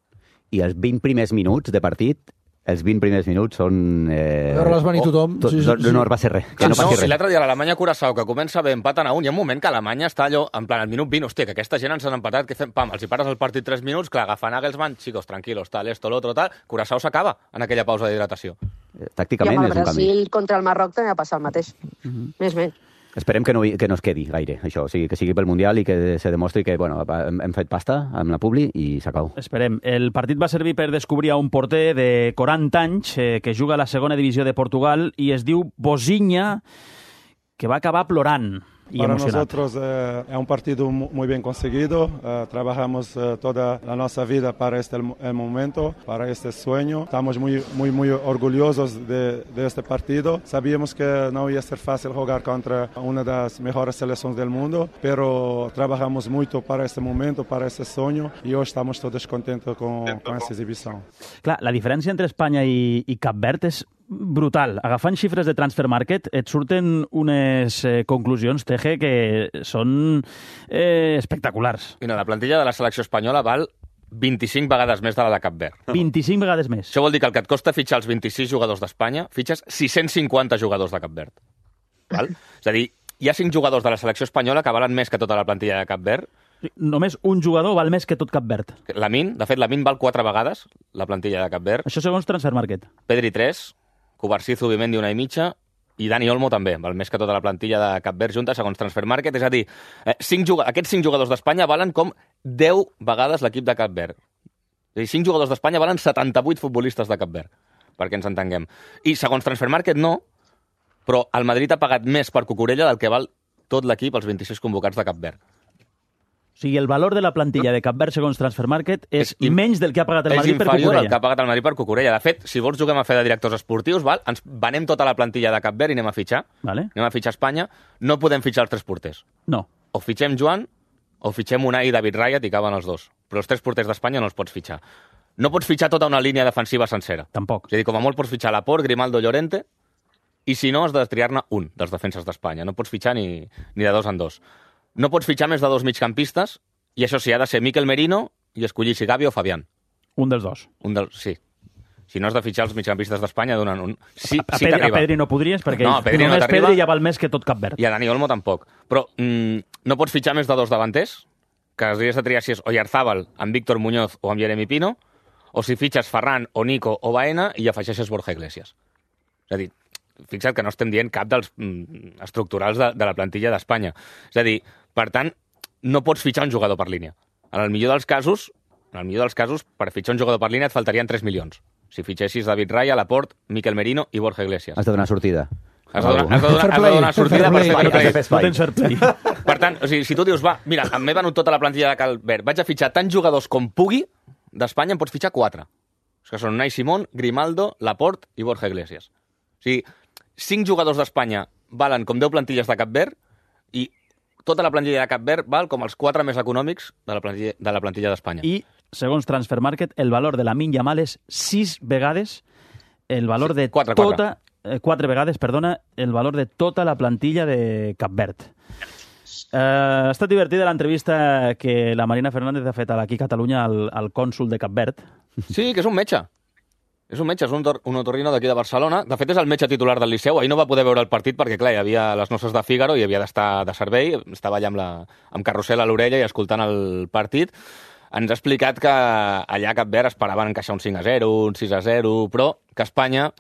I els vint primers minuts de partit, els vint primers minuts són... Eh... Veure-les venir tothom. Tot, Sí, sí, no, sí. no va ser res. Que No, no passi si res. l'altre dia l'Alemanya-Curaçao, que comença bé, empaten a un, hi ha un moment que Alemanya està allò, en plan, al minut vint, hòstia, que aquesta gent ens han empatat, que fem, pam, els hi pares el partit tres minuts, clar, agafen Nagelsmann, chicos, tranquilos, tal, esto, lo otro, tal, Curaçao s'acaba en aquella pausa d'hidratació. Eh, I Tàcticament amb el és un canvi. Brasil contra el Marroc també va passar el mateix. Més bé. Esperem que no, que no es quedi gaire, això. O sigui, que sigui pel Mundial i que se demostri que bueno, hem, hem fet pasta amb la Publi i s'acabó. Esperem. El partit va servir per descobrir a un porter de quaranta anys eh, que juga a la segona divisió de Portugal i es diu Bozinha, que va acabar plorant y Para emocionado. nosotros eh, es un partido mu- muy bien conseguido. Eh, trabajamos eh, toda la nuestra vida para este el, el momento, para este sueño. Estamos muy, muy, muy orgullosos de, de este partido. Sabíamos que no iba a ser fácil jugar contra una de las mejores selecciones del mundo, pero trabajamos mucho para este momento, para este sueño, y hoy estamos todos contentos con, con esta exhibición. Clar, la diferència entre Espanya i, i Cap Verd és brutal. Agafant xifres de Transfer Market et surten unes eh, conclusions, Teje, que són eh, espectaculars. Mira, la plantilla de la selecció espanyola val vint-i-cinc vegades més de la de Cap Verd. vint-i-cinc vegades més. Això vol dir que el que et costa fitxar els vint-i-sis jugadors d'Espanya, fitxes sis-cents cinquanta jugadors de Cap Verd. Val? És a dir, hi ha cinc jugadors de la selecció espanyola que valen més que tota la plantilla de Cap Verd. Només un jugador val més que tot Cap Verd. Lamin, de fet, Lamin val quatre vegades la plantilla de Cap Verd. Això segons Transfer Market. Pedri tres, Cubarsí, Zubimendi una i mitja, i Dani Olmo també, val més que tota la plantilla de Cap Verd junta, segons Transfer Market. És a dir, eh, cinc juga... aquests cinc jugadors d'Espanya valen com deu vegades l'equip de Cap Verd. És a dir, cinc jugadors d'Espanya valen setanta-vuit futbolistes de Cap Verd, perquè ens entenguem. I segons Transfer Market no, però el Madrid ha pagat més per Cucurella del que val tot l'equip, els vint-i-sis convocats de Cap Verd. O sigui, el valor de la plantilla de Cap Verd, segons Transfer Market, és, és menys del que ha pagat el Madrid per És inferior al Cucurella. que ha pagat el Madrid per Cucurella. De fet, si vols juguem a fer de directors esportius, val? Ens venem tota la plantilla de Cap Verd i anem a fitxar. Vale. Anem a fitxar a Espanya. No podem fitxar els tres porters. No. O fitxem Joan, o fitxem Unai i David Raya, i caben els dos. Però els tres porters d'Espanya no els pots fitxar. No pots fitxar tota una línia defensiva sencera. Tampoc. És a dir, com a molt pots fitxar Laporte, Grimaldo, Llorente, i si no, has de triar-ne un dels defenses d'Espanya. No pots fitxar ni, ni de dos en dos. No pots fitxar més de dos migcampistes, i això sí, ha de ser Mikel Merino i escollir si Gavi o Fabián. Un dels dos. Un dels, sí. Si no has de fitxar els migcampistes d'Espanya, donen un. Sí, a, a, sí Pedri, a t'arriba. Pedri no podries, perquè No, a Pedri no només t'arriba. Pedri ja val més que tot Cap Verd. I a Dani Olmo tampoc. Però mm, no pots fitxar més de dos davanters, que has de triar si és Oyarzábal amb Víctor Muñoz o amb Jeremy Pino, o si fitxes Ferran o Nico o Baena i afegeixes Borja Iglesias. És a dir, fixa't que no estem dient cap dels mm, estructurals de, de la plantilla d'Espanya. És a dir, per tant, no pots fitxar un jugador per línia. En el millor dels casos, en el millor dels casos, per fitxar un jugador per línia et faltarien tres milions. Si fitxessis David Raya, Laporte, Mikel Merino i Borja Iglesias. Has de donar sortida. Has de donar, has de donar, has de donar sortida per Fair fer play. No tens fair play. Per tant, o sigui, si tu dius, va, mira, m'he venut tota la plantilla de Cal Verd, vaig a fitxar tants jugadors com pugui, d'Espanya en pots fitxar quatre. Que són Unai Simón, Grimaldo, Laporte i Borja Iglesias. O sigui, cinc jugadors d'Espanya valen com deu plantilles de Cap Verd i tota la plantilla de Cap Verd val com els quatre més econòmics de la plantilla de la plantilla d'Espanya. I, segons Transfer Market, el valor de Lamine Yamal és sis vegades el valor Sí, de quatre, tota... Eh, quatre vegades, perdona, el valor de tota la plantilla de Cap Verd. Eh, ha estat divertida l'entrevista que la Marina Fernández ha fet aquí a Catalunya al, al cònsul de Cap Verd. Sí, que és un metge. És un metge, és un, tor un otorrino d'aquí de Barcelona. De fet, és el metge titular del Liceu. Ahir no va poder veure el partit perquè, clar, hi havia les noces de Fígaro i havia d'estar de servei. Estava allà amb, la, amb carrusel a l'orella i escoltant el partit. ens ha explicat que allà a Cap Verd esperaven encaixar un cinc a zero, un sis a zero, però que Espanya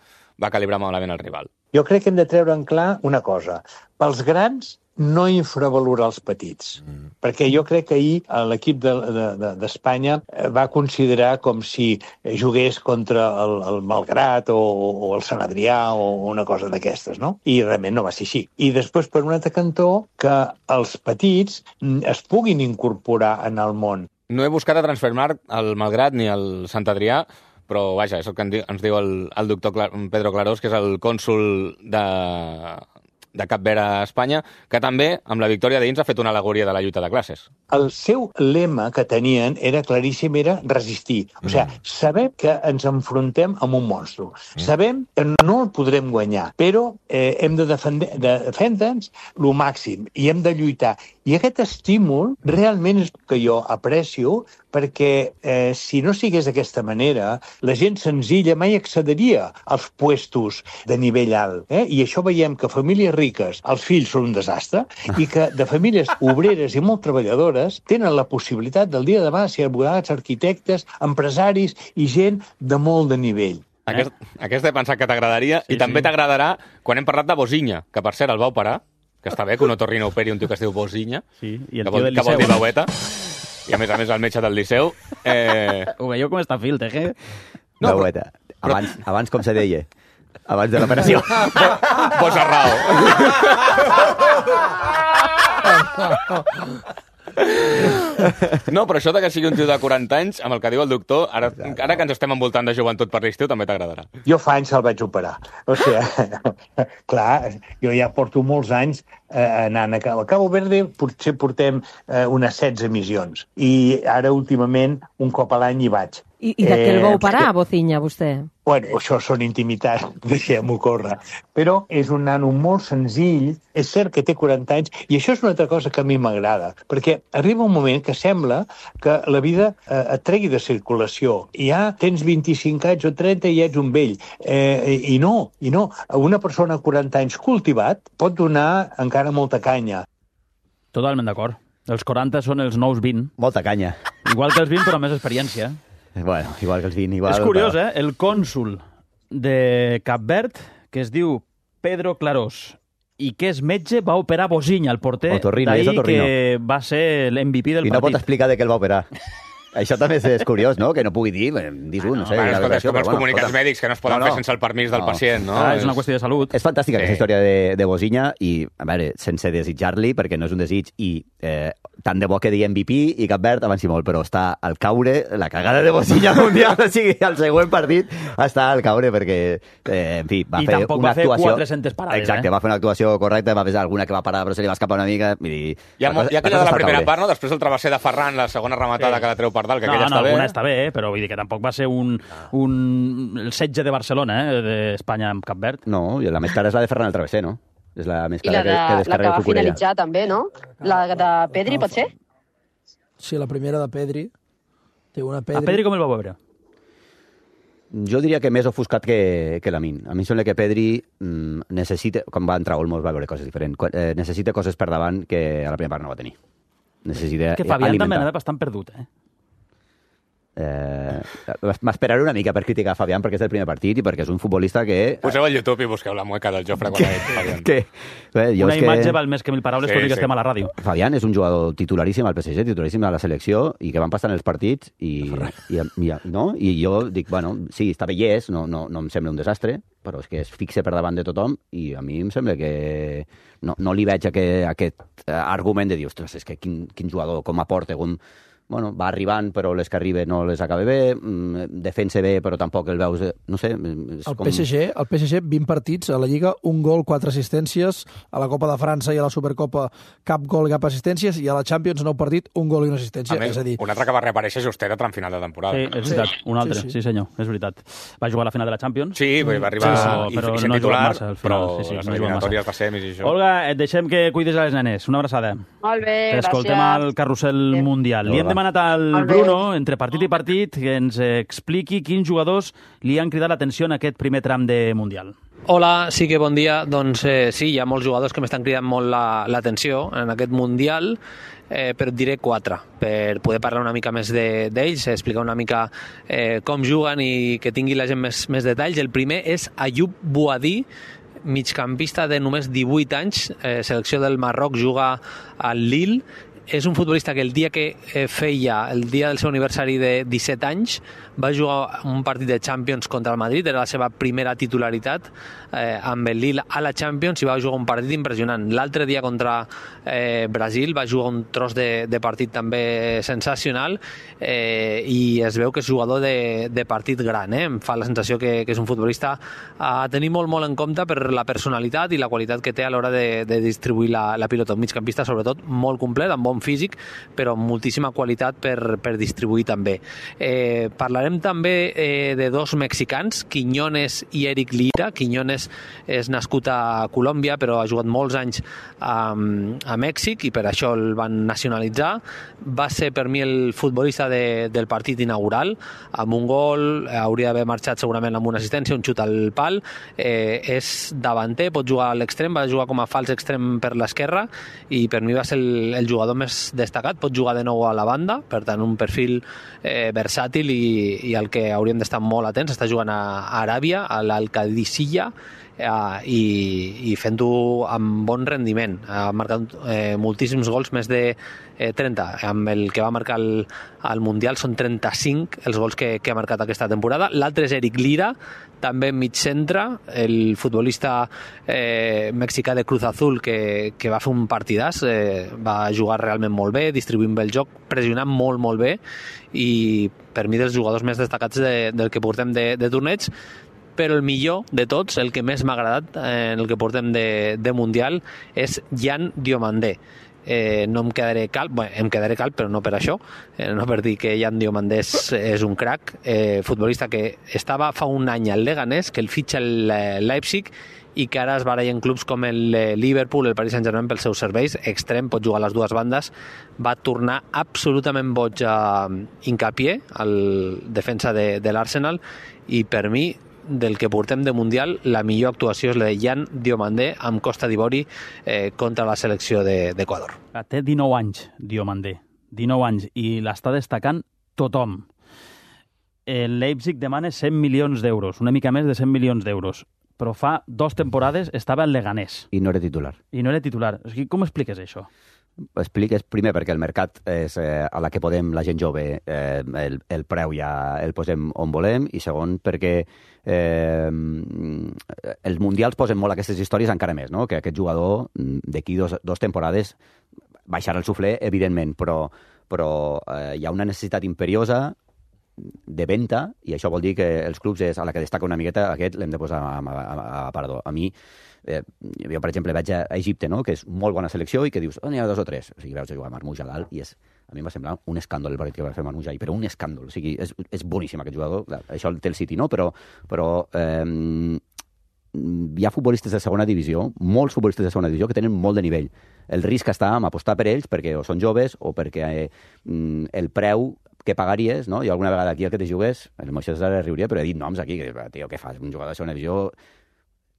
va calibrar malament el rival. Jo crec que hem de treure en clar una cosa. Pels grans, no infravalorar els petits. Mm. Perquè jo crec que ahir l'equip d'Espanya de, de, va considerar com si jugués contra el, el Malgrat o, o el Sant Adrià o una cosa d'aquestes, no? I realment no va ser així. I després, per un altre cantó, que els petits es puguin incorporar en el món. No he buscat a Transfermarkt el Malgrat ni el Sant Adrià, però vaja, és el que ens diu el, el doctor Pedro Clarós, que és el cònsul de... de Cap Verd a Espanya, que també, amb la victòria d'Ins, ha fet una al·legoria de la lluita de classes. El seu lema que tenien era claríssim, era resistir. O sigui, mm. sabem que ens enfrontem amb un monstru. Mm. Sabem que no el podrem guanyar, però eh, hem de defendre'ns de defendre el màxim i hem de lluitar. I aquest estímul realment és el que jo aprecio, perquè eh, si no sigués d'aquesta manera, la gent senzilla mai accediria als puestos de nivell alt. Eh? I això veiem que famílies riques, els fills són un desastre, i que de famílies obreres i molt treballadores tenen la possibilitat del dia de demà ser advocats, arquitectes, empresaris i gent de molt de nivell. Aquest, aquest he pensat que t'agradaria, sí, i també sí. T'agradarà quan hem parlat de Bozinya, que per cert el va operar, que està bé que un otorrino operi un tio que es diu Bozinya, sí, i el que, vol, que vol dir baueta, i a més a més el metge del Liceu. Eh... Ho veieu com està Filter, eh? No, baueta. Però... Abans, abans com se deia? Abans de l'operació. Bozarrao. No, però això de que sigui un tio de quaranta anys, amb el que diu el doctor, ara, ara que ens estem envoltant de joventut per l'estiu, també t'agradarà. Jo fa anys el vaig operar. O sigui, clar, jo ja porto molts anys eh, anant a Cabo, Cabo Verde, potser portem eh, unes setze missions. I ara, últimament, un cop a l'any hi vaig. I, i de què el va operar, eh, Bozinya, vostè? Bueno, això són intimitats, deixem-ho córrer. Però és un nano molt senzill, és cert que té quaranta anys, i això és una altra cosa que a mi m'agrada, perquè arriba un moment que sembla que la vida eh, et tregui de circulació. I ja tens vint-i-cinc anys o trenta i ets un vell. Eh, I no, i no. Una persona de quaranta anys cultivat pot donar encara molta canya. Totalment d'acord. Els quaranta són els nous vint. Molta canya. Igual que els vint, però més experiència. Bueno, igual que els vint, igual... És curiós, eh? El cònsul de Cap Verd, que es diu Pedro Clarós, i que és metge, va operar Bozinya, el porter d'ahir, que va ser l'M V P del partit. I no pot partit. explicar de què el va operar. Això també és curiós, no? Que no pugui dir, dis-ho, no, no sé. Bueno, escolta, és com els comunicats bueno, mèdics que no es poden no, no. fer sense el permís del no. pacient, no? Ah, és una qüestió de salut. És fantàstica sí. aquesta història de, de Bozinya i, a veure, sense desitjar-li, perquè no és un desig, i eh, tant de bo que digui M V P i Cap Verd avanci molt, però està al caure, la cagada de Bozinya mundial, o sigui, al següent partit està al caure, perquè, eh, en fi, va I fer una va actuació... I tampoc va fer quatre-centes parades, Exacte, eh? va fer una actuació correcta, va fer alguna que va parar, però se li va escapar una mica... I, hi ha, cosa, hi ha aquella de la primera part, no? Després el travesser de Ferran, la segona rematada sí. que la treu per dalt, que no, aquella no, està bé. Està bé, eh? Però vull dir que tampoc va ser un, un el setge de Barcelona, eh? d'Espanya amb Cap Verd. No, i la més cara és la de Ferran el Travesser, no? És la més I cara la, de, que, que descarrega la que va Cucurella. finalitzar també, no? La de Pedri, pot ser? Sí, la primera de Pedri. Té una Pedri. A Pedri com el va veure? Jo diria que més ofuscat que, que Lamin. A mi em sembla que Pedri mm, necessita, quan va entrar Olmos va veure coses diferents, eh, necessita coses per davant que a la primera part no va tenir. Necessita que Fabián alimentar. també anava bastant perdut, eh? Eh, M'esperaré una mica per criticar Fabián perquè és el primer partit i perquè és un futbolista que... Poseu al YouTube i busqueu la mueca del Jofre quan ha dit Fabián. Que, bé, jo una és imatge que... val més que mil paraules, sí, tot i que sí. estem a la ràdio. Fabián és un jugador titularíssim al P S G, titularíssim a la selecció i que van passant els partits i, i, i, no? I jo dic, bueno, sí, està bé i és, no, no, no em sembla un desastre, però és que es fixa per davant de tothom i a mi em sembla que no, no li veig aquest, aquest argument de dir, ostres, és que quin, quin jugador, com aporta, com... Bueno, va arribant, però les que arriba no les acaba bé, defensa bé, però tampoc el veus... No sé... És el, com... P S G, el P S G, vint partits a la Lliga, un gol, quatre assistències, a la Copa de França i a la Supercopa cap gol i cap assistències, i a la Champions, nou partit, un gol i una assistència. A més, és a dir... un altre que va reaparèixer justera tram final de temporada. Sí, és veritat, sí. un altre, sí, sí. sí senyor, és veritat. Va jugar a la final de la Champions. Sí, va arribar sí, sí. però, i, i no titular, massa, al però sí, sí, les no eliminatòries de semis i això... Olga, et deixem que cuidis a les nenes. Una abraçada. Molt bé, gràcies. Escoltem al carrusel sí. mundial. Li hem demanat al Bruno, entre partit i partit, que ens expliqui quins jugadors li han cridat l'atenció en aquest primer tram de Mundial. Hola, sí que bon dia. Doncs eh, sí, hi ha molts jugadors que m'estan cridant molt l'atenció la, en aquest Mundial, eh, però et diré quatre, per poder parlar una mica més d'ells, de, explicar una mica eh, com juguen i que tingui la gent més, més detalls. El primer és Ayoub Bouhaddi, migcampista de només divuit anys, eh, selecció del Marroc, juga al Lille. És un futbolista que el dia que eh, feia, el dia del seu aniversari de disset anys, va jugar un partit de Champions contra el Madrid, era la seva primera titularitat eh, amb el Lille a la Champions i va jugar un partit impressionant. L'altre dia contra eh, Brasil va jugar un tros de, de partit també sensacional eh, i es veu que és jugador de, de partit gran. Eh? Em fa la sensació que, que és un futbolista a tenir molt, molt en compte per la personalitat i la qualitat que té a l'hora de, de distribuir la, la pilota. Un migcampista, sobretot, molt complet, amb bon físic, però amb moltíssima qualitat per, per distribuir també. Eh, parlarem també eh, de dos mexicans, Quiñones i Eric Lira. Quiñones és nascut a Colòmbia, però ha jugat molts anys a, a Mèxic i per això el van nacionalitzar. Va ser per mi el futbolista de, del partit inaugural, amb un gol, hauria d'haver marxat segurament amb una assistència, un xut al pal. Eh, és davanter, pot jugar a l'extrem, va jugar com a fals extrem per l'esquerra i per mi va ser el, el jugador més destacat. Pot jugar de nou a la banda, per tant un perfil eh, versàtil i, i al que hauríem d'estar molt atents. Està jugant a Aràbia, a l'Alcadicilla, eh, i, i fent-ho amb bon rendiment. Ha marcat eh, moltíssims gols, més de eh, trenta. Amb el que va marcar el, el Mundial són trenta-cinc els gols que, que ha marcat aquesta temporada. L'altre és Eric Lira, també mig centre, el futbolista eh, mexicà de Cruz Azul que, que va fer un partidàs, eh, va jugar realment molt bé, distribuint bé el joc, pressionant molt, molt bé, i per mi dels jugadors més destacats de, del que portem de, de torneig. Però el millor de tots, el que més m'ha agradat en el que portem de, de Mundial, és Jan Diomandé. Eh, no em quedaré calp, bé, em quedaré calp, però no per això, eh, no per dir que Jan Diomandé és, és un crac, eh, futbolista que estava fa un any al Leganés, que el fitxa el Leipzig i que ara es baralla en clubs com el Liverpool, el Paris Saint-Germain pels seus serveis, extrem, pot jugar a les dues bandes. Va tornar absolutament boig a Hincapié, el defensa de, de l'Arsenal, i per mi, del que portem de Mundial, la millor actuació és la de Jan Diomandé amb Costa d'Ivori eh, contra la selecció d'Equador. De, Té dinou anys, Diomandé, dinou anys, i l'està destacant tothom. El Leipzig demana cent milions d'euros, una mica més de cent milions d'euros, però fa dues temporades estava al Leganés. I no era titular. I no era titular. O sigui, com expliques això? Expliques primer perquè el mercat és eh, a la que podem, la gent jove, eh, el, el preu ja el posem on volem, i segon perquè eh, els mundials posen molt aquestes històries encara més, no? Que aquest jugador d'aquí dos, dos temporades baixarà el suflé, evidentment, però, però eh, hi ha una necessitat imperiosa de venda, i això vol dir que els clubs és a la que destaca una miqueta, aquest l'hem de posar a, a, a, a parador. A mi, eh, jo per exemple vaig a Egipte, no? Que és molt bona selecció, i que dius, oh, n'hi ha dos o tres, o sigui, veus jugar Marmoush a dalt, i és, a mi em va semblar un escàndol el partit que va fer Marmoush ahir, però un escàndol, o sigui, és, és boníssim aquest jugador, això el té el City, no? Però, però eh, hi ha futbolistes de segona divisió, molts futbolistes de segona divisió que tenen molt de nivell. El risc està en apostar per ells perquè o són joves o perquè eh, el preu que pagaries, no? Jo alguna vegada aquí el que te jugues, el Moisés riuria, però he dit noms aquí, que, tio, què fas? Un jugador de segona divisió...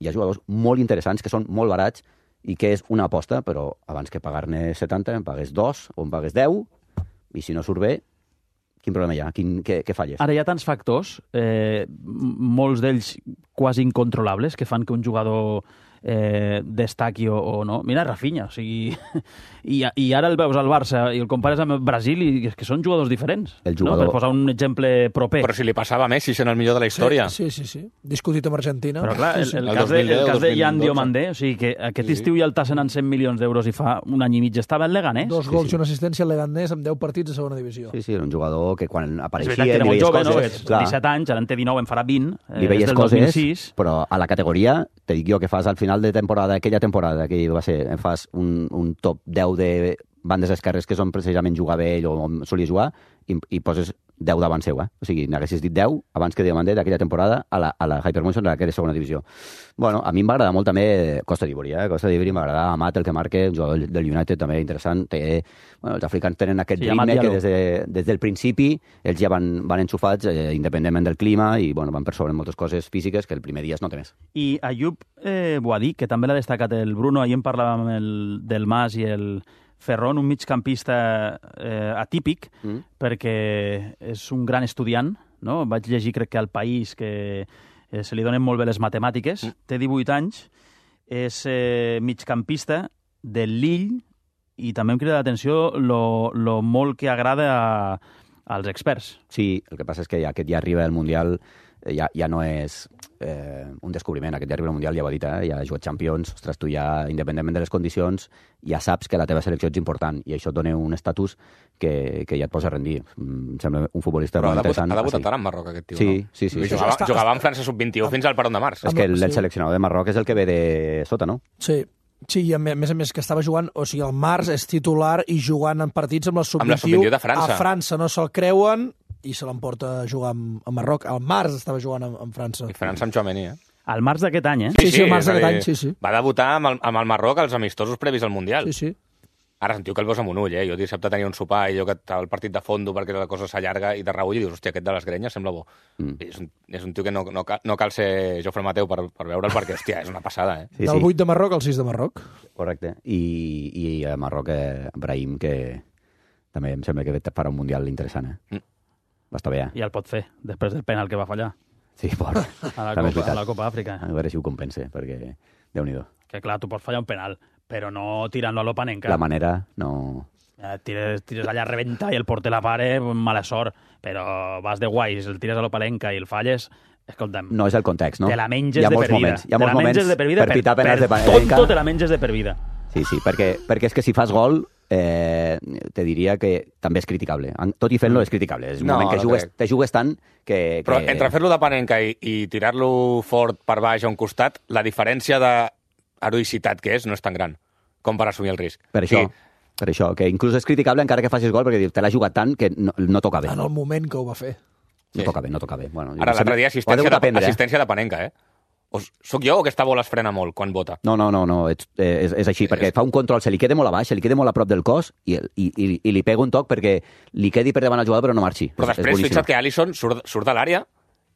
Hi ha jugadors molt interessants que són molt barats i que és una aposta, però abans que pagar-ne setanta, em pagues dos o em pagues deu, i si no surt bé, quin problema hi ha? Quin, què, què falles? Ara hi ha tants factors, eh, molts d'ells quasi incontrolables, que fan que un jugador eh, destaqui o, o no. Mira, Rafinha, o sigui... I, I ara el veus al Barça i el compares amb el Brasil i és que són jugadors diferents. El jugador... No? Per posar un exemple proper. Però si li passava a Messi, sent el millor de la història. Sí, sí, sí. sí. Discutit amb Argentina. Però clar, el, sí, sí. el, el, cas, de, el cas de Jan Diomandé, o sigui que aquest sí, estiu ja el tassen en cent milions d'euros i fa un any i mig estava al Leganés. Dos gols sí, sí. i una assistència al Leganés amb deu partits de segona divisió. Sí, sí, era un jugador que quan apareixia... És veritat que era molt jove, coses, no? disset anys, ara en té dinou, en farà vint. Li veies coses, però a la categoria, te dic jo, que fas al final de temporada, aquella temporada que va ser, em fas un, un top deu de bandes esquerres que són precisament jugar bé ell o on solia jugar, i, i poses deu davant seu, eh? O sigui, n'haguessis dit deu abans que Diamandé d'aquella temporada a la, a la Hypermotion d'aquella segona divisió. Bueno, a mi em va agradar molt també Costa d'Ivori, eh? Costa d'Ivori m'agrada, Amat, el que marca, el jugador del United també interessant. Té, bueno, els africans tenen aquest sí, ritme que des, de, des del principi ells ja van, van enxufats eh, independentment del clima i bueno, van per sobre moltes coses físiques que el primer dia es nota més. I Ayub eh, Boadí, que també l'ha destacat el Bruno, ahir en parlàvem el, del Mas i el Ferron, un migcampista eh, atípic, mm. perquè és un gran estudiant, no? Vaig llegir, crec que al País, que eh, se li donen molt bé les matemàtiques, mm. té divuit anys, és eh, migcampista del Lille, i també em crida l'atenció lo, lo molt que agrada a, als experts. Sí, el que passa és que ja aquest ja arriba al Mundial, ja, ja no és eh, un descobriment. Aquest ja arriba al Mundial, ja ho ha dit, eh? Ja ha jugat Champions, ostres, tu ja, independentment de les condicions, ja saps que la teva selecció és important i això et dona un estatus que, que ja et posa a rendir. Em sembla un futbolista però molt ha interessant. Però ha debutat ara en Marroc, aquest tio, sí, no? Sí, sí. sí. Jugava, sí. jugava en França sub vint-i-u fins al Peron de Març. És que el, el seleccionador de Marroc és el que ve de sota, no? Sí. Sí, i a més a més que estava jugant, o sigui, el març és titular i jugant en partits amb la sub vint-i-u de França. A França no se'l creuen i se l'emporta a jugar a Marroc. Al març estava jugant en França. I França amb Tchouaméni, eh? Al març d'aquest any, eh? Sí, sí, sí, al març d'aquest any, sí, sí. Va debutar amb el, amb el Marroc als amistosos previs al Mundial. Sí, sí. Ara sentiu que el veus amb un ull, eh? Jo dissabte tenia un sopar i jo que el partit de fondo perquè la cosa s'allarga i de reull i dius, hòstia, aquest de les grenyes sembla bo. Mm. És, un, és un tio que no, no, cal, no cal ser Jofre Mateu per, per veure'l perquè, hòstia, és una passada, eh? Sí, Del vuit de Marroc al sis de Marroc. Correcte. I, i a Marroc, eh, Brahim, que també em sembla que farà un Mundial interessant, eh? Mm. Va estar bé, eh? I el pot fer, després del penal que va fallar. Sí, por. A la, Copa, a la Copa Àfrica. A veure si ho compensa, perquè Déu-n'hi-do. Que clar, tu pots fallar un penal, però no tirant-lo a l'Opanenka. La manera, no... Eh, tires, tires allà a rebentar i el porter la pare, mala sort, però vas de guais, el tires a l'Opanenka i el falles, escolta'm... No és el context, no? Te la menges de per vida. Moments, hi ha molts moments de per, vida, per pitar penals per, de Panenka. Tonto te la menges de per vida. Sí, sí, perquè, perquè és que si fas gol, eh, te diria que també és criticable. Tot i fent-lo és criticable. És un no, moment que no jugues, te jugues tant que... Però que... entre fer-lo de Panenka i, i tirar-lo fort per baix a un costat, la diferència d'heroïcitat que és no és tan gran com per assumir el risc. Per això, sí. per això, que inclús és criticable encara que facis gol, perquè te l'ha jugat tant que no, no toca bé. En el moment que ho va fer. No sí. toca bé, no toca bé. Bueno, ara, l'altre dia, assistència de, aprendre, assistència de Panenka, eh? O soc jo o aquesta bola es frena molt quan vota? No, no, no, no és, és, és així, sí, perquè és... fa un control, se li queda molt a baix, se li queda molt a prop del cos i, i, i, i li pega un toc perquè li quedi per davant el jugador però no marxi. Però és, després és fixa't que Alisson surt, surt de l'àrea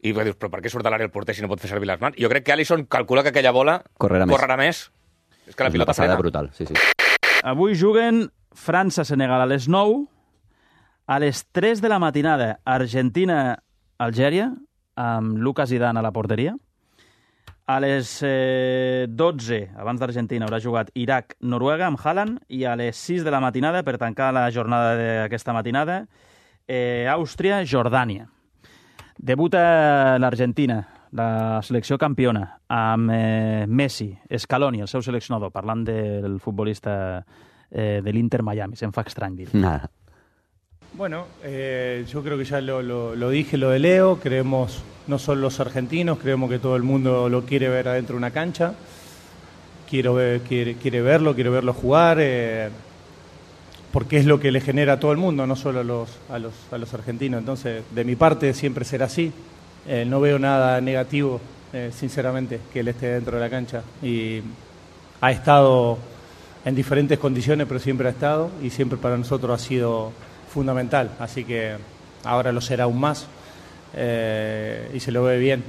i dius, però per què surt de l'àrea el porter si no pot fer servir les mans? Jo crec que Alisson calcula que aquella bola correrà més. Correrà més. És que la és pilota frena. frena. Brutal, sí, sí. Avui juguen França-Senegal a les nou, a les tres de la matinada Argentina-Algèria, amb Lucas Zidane a la porteria. A les eh, dotze, abans d'Argentina, haurà jugat Iraq-Noruega amb Haaland, i a les sis de la matinada, per tancar la jornada d'aquesta matinada, eh, Àustria-Jordània. Debuta l'Argentina, la selecció campiona, amb eh, Messi, Scaloni, el seu seleccionador, parlant del futbolista eh, de l'Inter Miami. Se'm fa estrany dir. Nada. Bueno, eh, yo creo que ya lo, lo, lo dije, lo de Leo, creemos, no solo los argentinos, creemos que todo el mundo lo quiere ver adentro de una cancha, quiero ver, quiere, quiere verlo, quiere verlo jugar, eh, porque es lo que le genera a todo el mundo, no solo a los, a los, a los argentinos. Entonces, de mi parte siempre será así, eh, no veo nada negativo, eh, sinceramente, que él esté dentro de la cancha. Y ha estado en diferentes condiciones, pero siempre ha estado, y siempre para nosotros ha sido fundamental, así que ahora lo será aún más eh, y se lo ve bien.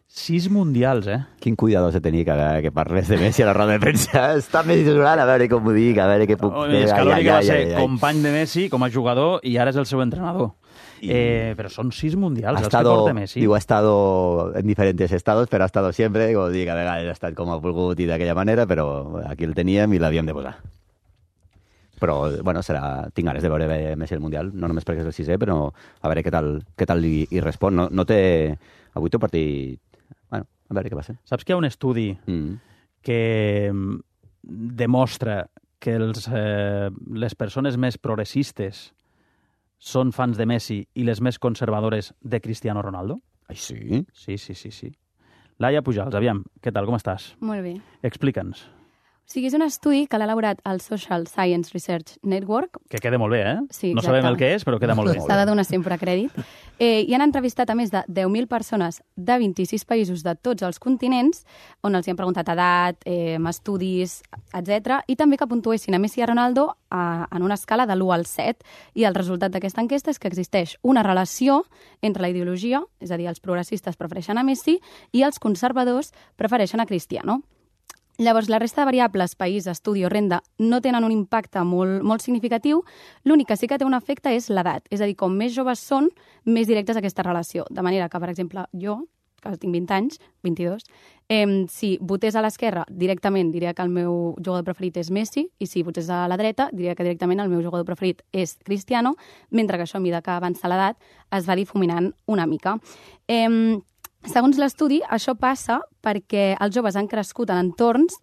Sis mundials, eh? Quin cuidado se tenia que, que parles de Messi a la roda de premsa. Està més durant, a veure com ho dic, a veure què puc... Oh, Scaloni, que va ser company de Messi com a jugador i ara és el seu entrenador. Y... Eh, pero son seis mundials els estado, que porta Messi. Digo, ha estado en diferentes estados, però ha estado siempre, com dic, a vegades ha estat com ha volgut i d'aquella manera, però aquí el teníem i l'havíem de posar. Però, bueno, serà... tinc ganes de veure Messi al Mundial, no només perquè és el sisè, però a veure què tal, què tal li, hi respon. No, no té... Avui té un partit... Bueno, a veure què passa. Saps que hi ha un estudi mm. que demostra que els, eh, les persones més progressistes són fans de Messi i les més conservadores de Cristiano Ronaldo? Ai, sí? Sí, sí, sí, sí. Laia Pujals, aviam, què tal, com estàs? Molt bé. Explica'ns. O sigui, és un estudi que l'ha elaborat el Social Science Research Network. Que queda molt bé, eh? Sí, no exacte. sabem el que és, però queda molt bé. S'ha de donar sempre crèdit. Eh, I han entrevistat a més de deu mil persones de vint-i-sis països de tots els continents, on els hi han preguntat edat, eh, estudis, etcètera, i també que puntuessin a Messi i a Ronaldo a, en una escala de l'u al set. I el resultat d'aquesta enquesta és que existeix una relació entre la ideologia, és a dir, els progressistes prefereixen a Messi i els conservadors prefereixen a Cristiano. Llavors, la resta de variables, país, estudi o renda, no tenen un impacte molt, molt significatiu. L'únic que sí que té un efecte és l'edat. És a dir, com més joves són, més directes aquesta relació. De manera que, per exemple, jo, que tinc vint anys, vint-i-dos, eh, si votés a l'esquerra, directament diria que el meu jugador preferit és Messi, i si votés a la dreta, diria que directament el meu jugador preferit és Cristiano, mentre que això, a mesura que avança l'edat, es va difuminant una mica. Eh, Segons l'estudi, això passa perquè els joves han crescut en entorns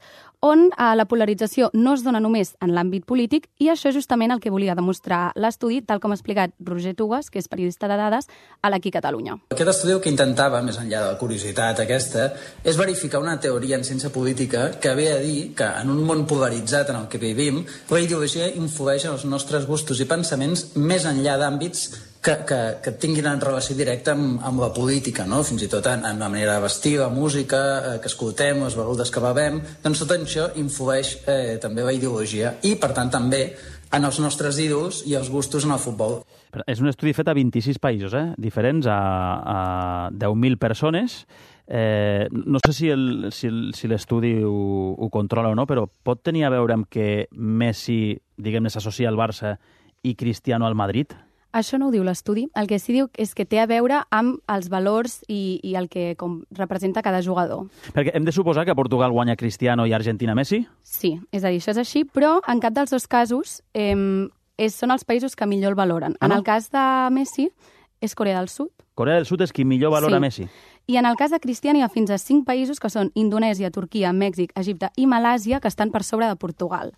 on eh, la polarització no es dona només en l'àmbit polític, i això és justament el que volia demostrar l'estudi, tal com ha explicat Roger Tugas, que és periodista de dades a l'Aquí Catalunya. Aquest estudi el que intentava, més enllà de la curiositat aquesta, és verificar una teoria en ciència política que ve a dir que en un món polaritzat en el que vivim, la ideologia influeix en els nostres gustos i pensaments més enllà d'àmbits que, que, que tinguin en relació directa amb, amb la política, no? Fins i tot en, en la manera de vestir, la música eh, que escoltem, les begudes que bevem, doncs tot això influeix eh, també la ideologia i, per tant, també en els nostres ídols i els gustos en el futbol. Però és un estudi fet a vint-i-sis països, eh? diferents, a, a deu mil persones. Eh, no sé si el, si el, si l'estudi ho, ho controla o no, però pot tenir a veure amb que Messi, diguem-ne, s'associa al Barça i Cristiano al Madrid? Això no ho diu l'estudi. El que sí diu és que té a veure amb els valors i, i el que com, representa cada jugador. Perquè hem de suposar que a Portugal guanya Cristiano i a Argentina Messi? Sí, és a dir, això és així, però en cap dels dos casos eh, és, són els països que millor el valoren. Ah, no? En el cas de Messi és Corea del Sud. Corea del Sud és qui millor valora sí. Messi. I en el cas de Cristiano hi ha fins a cinc països que són Indonèsia, Turquia, Mèxic, Egipte i Malàsia, que estan per sobre de Portugal.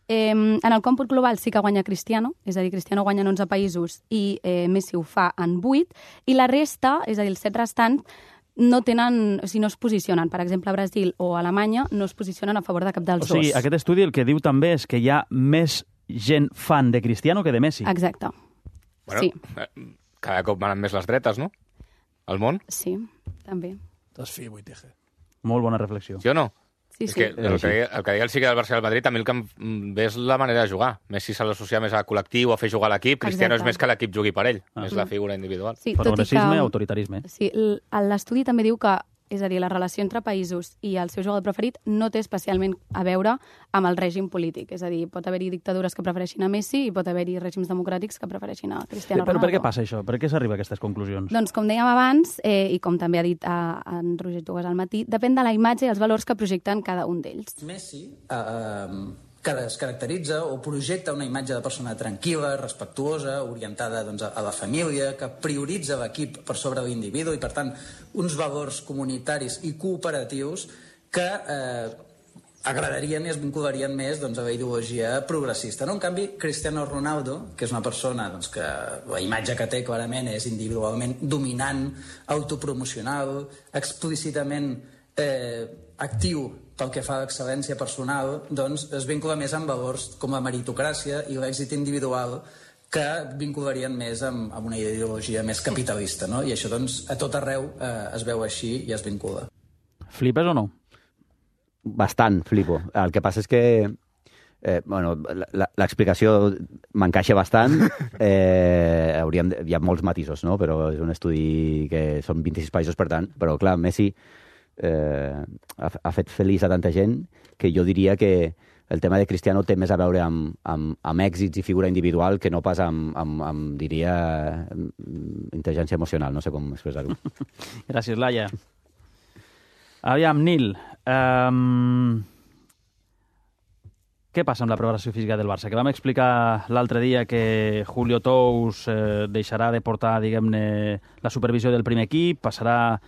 Eh, en el còmput global sí que guanya Cristiano, és a dir, Cristiano guanya en onze països i eh, Messi ho fa en vuit, i la resta, és a dir, els set restants, no tenen, o sigui, no es posicionen. Per exemple, Brasil o Alemanya no es posicionen a favor de cap dels dos. O sigui, dos. Aquest estudi el que diu també és que hi ha més gent fan de Cristiano que de Messi. Exacte. Bueno, sí. Cada cop van més les dretes, no? Al món? Sí, també. Desfi, Boiteje. Molt bona reflexió. Sí o no? Sí, és sí. que el que, deia, el que deia el psique del Barça i del Madrid, també el que em ve és la manera de jugar. Messi se l'associar més al col·lectiu, a fer jugar l'equip. Cristiano Exacte. és més que l'equip jugui per ell. Ah. És la figura individual. Sí, progressisme, que, autoritarisme. Sí, l'estudi també diu que, és a dir, la relació entre països i el seu jugador preferit no té especialment a veure amb el règim polític. És a dir, pot haver-hi dictadures que prefereixin a Messi i pot haver-hi règims democràtics que prefereixin a Cristiano Però Ronaldo. per què passa això? Per què s'arriba a aquestes conclusions? Doncs, com dèiem abans, eh, i com també ha dit a, a en Roger Tugas al matí, depèn de la imatge i els valors que projecten cada un d'ells. Messi eh, que es caracteritza o projecta una imatge de persona tranquil·la, respectuosa, orientada doncs, a la família, que prioritza l'equip per sobre l'individu i, per tant, uns valors comunitaris i cooperatius que eh, agradarien i es vincularien més doncs, a la ideologia progressista. No? En canvi, Cristiano Ronaldo, que és una persona doncs, que la imatge que té clarament és individualment dominant, autopromocional, explícitament eh, actiu pel que fa a l'excel·lència personal, doncs es vincula més amb valors com la meritocràcia i l'èxit individual que vincularien més amb, amb una ideologia més capitalista, no? I això, doncs, a tot arreu eh, es veu així i es vincula. Flipes o no? Bastant, flipo. El que passa és que eh, bueno, l'explicació m'encaixa bastant. Eh, hauríem de, hi ha molts matisos, no? Però és un estudi que són vint-i-sis països, per tant. Però, clar, Messi eh, ha, ha fet feliç a tanta gent que jo diria que el tema de Cristiano té més a veure amb, amb, amb èxits i figura individual que no pas amb, amb, amb diria, intel·ligència emocional. No sé com expressar-ho. Gràcies, Laia. Aviam, Nil, um, què passa amb la preparació física del Barça? Que vam explicar l'altre dia que Julio Tous eh, deixarà de portar, diguem-ne, la supervisió del primer equip, passarà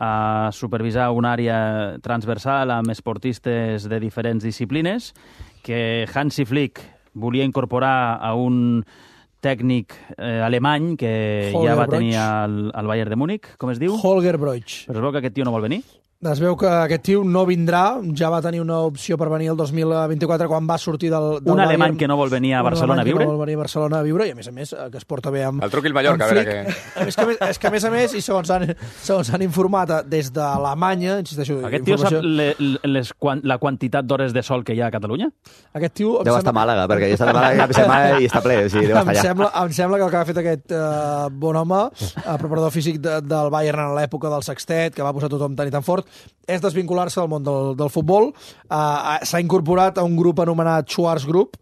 a supervisar una àrea transversal amb esportistes de diferents disciplines, que Hansi Flick volia incorporar a un tècnic eh, alemany que Holger ja va Broich. tenir al, al Bayern de Múnich, com es diu? Holger Broich. Però es veu que aquest tio no vol venir? Es veu que aquest tio no vindrà, ja va tenir una opció per venir el dos mil vint-i-quatre quan va sortir del, del Un Bayern. alemany que no vol venir a Barcelona a viure? Un alemany que no vol venir a Barcelona a viure i, a més a més, que es porta bé amb... El truqui el Mallorca, a veure què... A més, que, és que, a més a més, i segons han, segons han informat des d'Alemanya, insisteixo... Aquest tio informació... sap le, les, la quantitat d'hores de sol que hi ha a Catalunya? Aquest tio... Deu estar a Màlaga, perquè ja està a Màlaga cap setmana i està ple, o sigui, deu estar em allà. Sembla, em sembla que el que ha fet aquest uh, bon home, uh, preparador físic de, del Bayern en l'època del sextet, que va posar tothom tan i tan fort, és desvincular-se del món del, del futbol. Uh, S'ha incorporat a un grup anomenat Schwarz Group,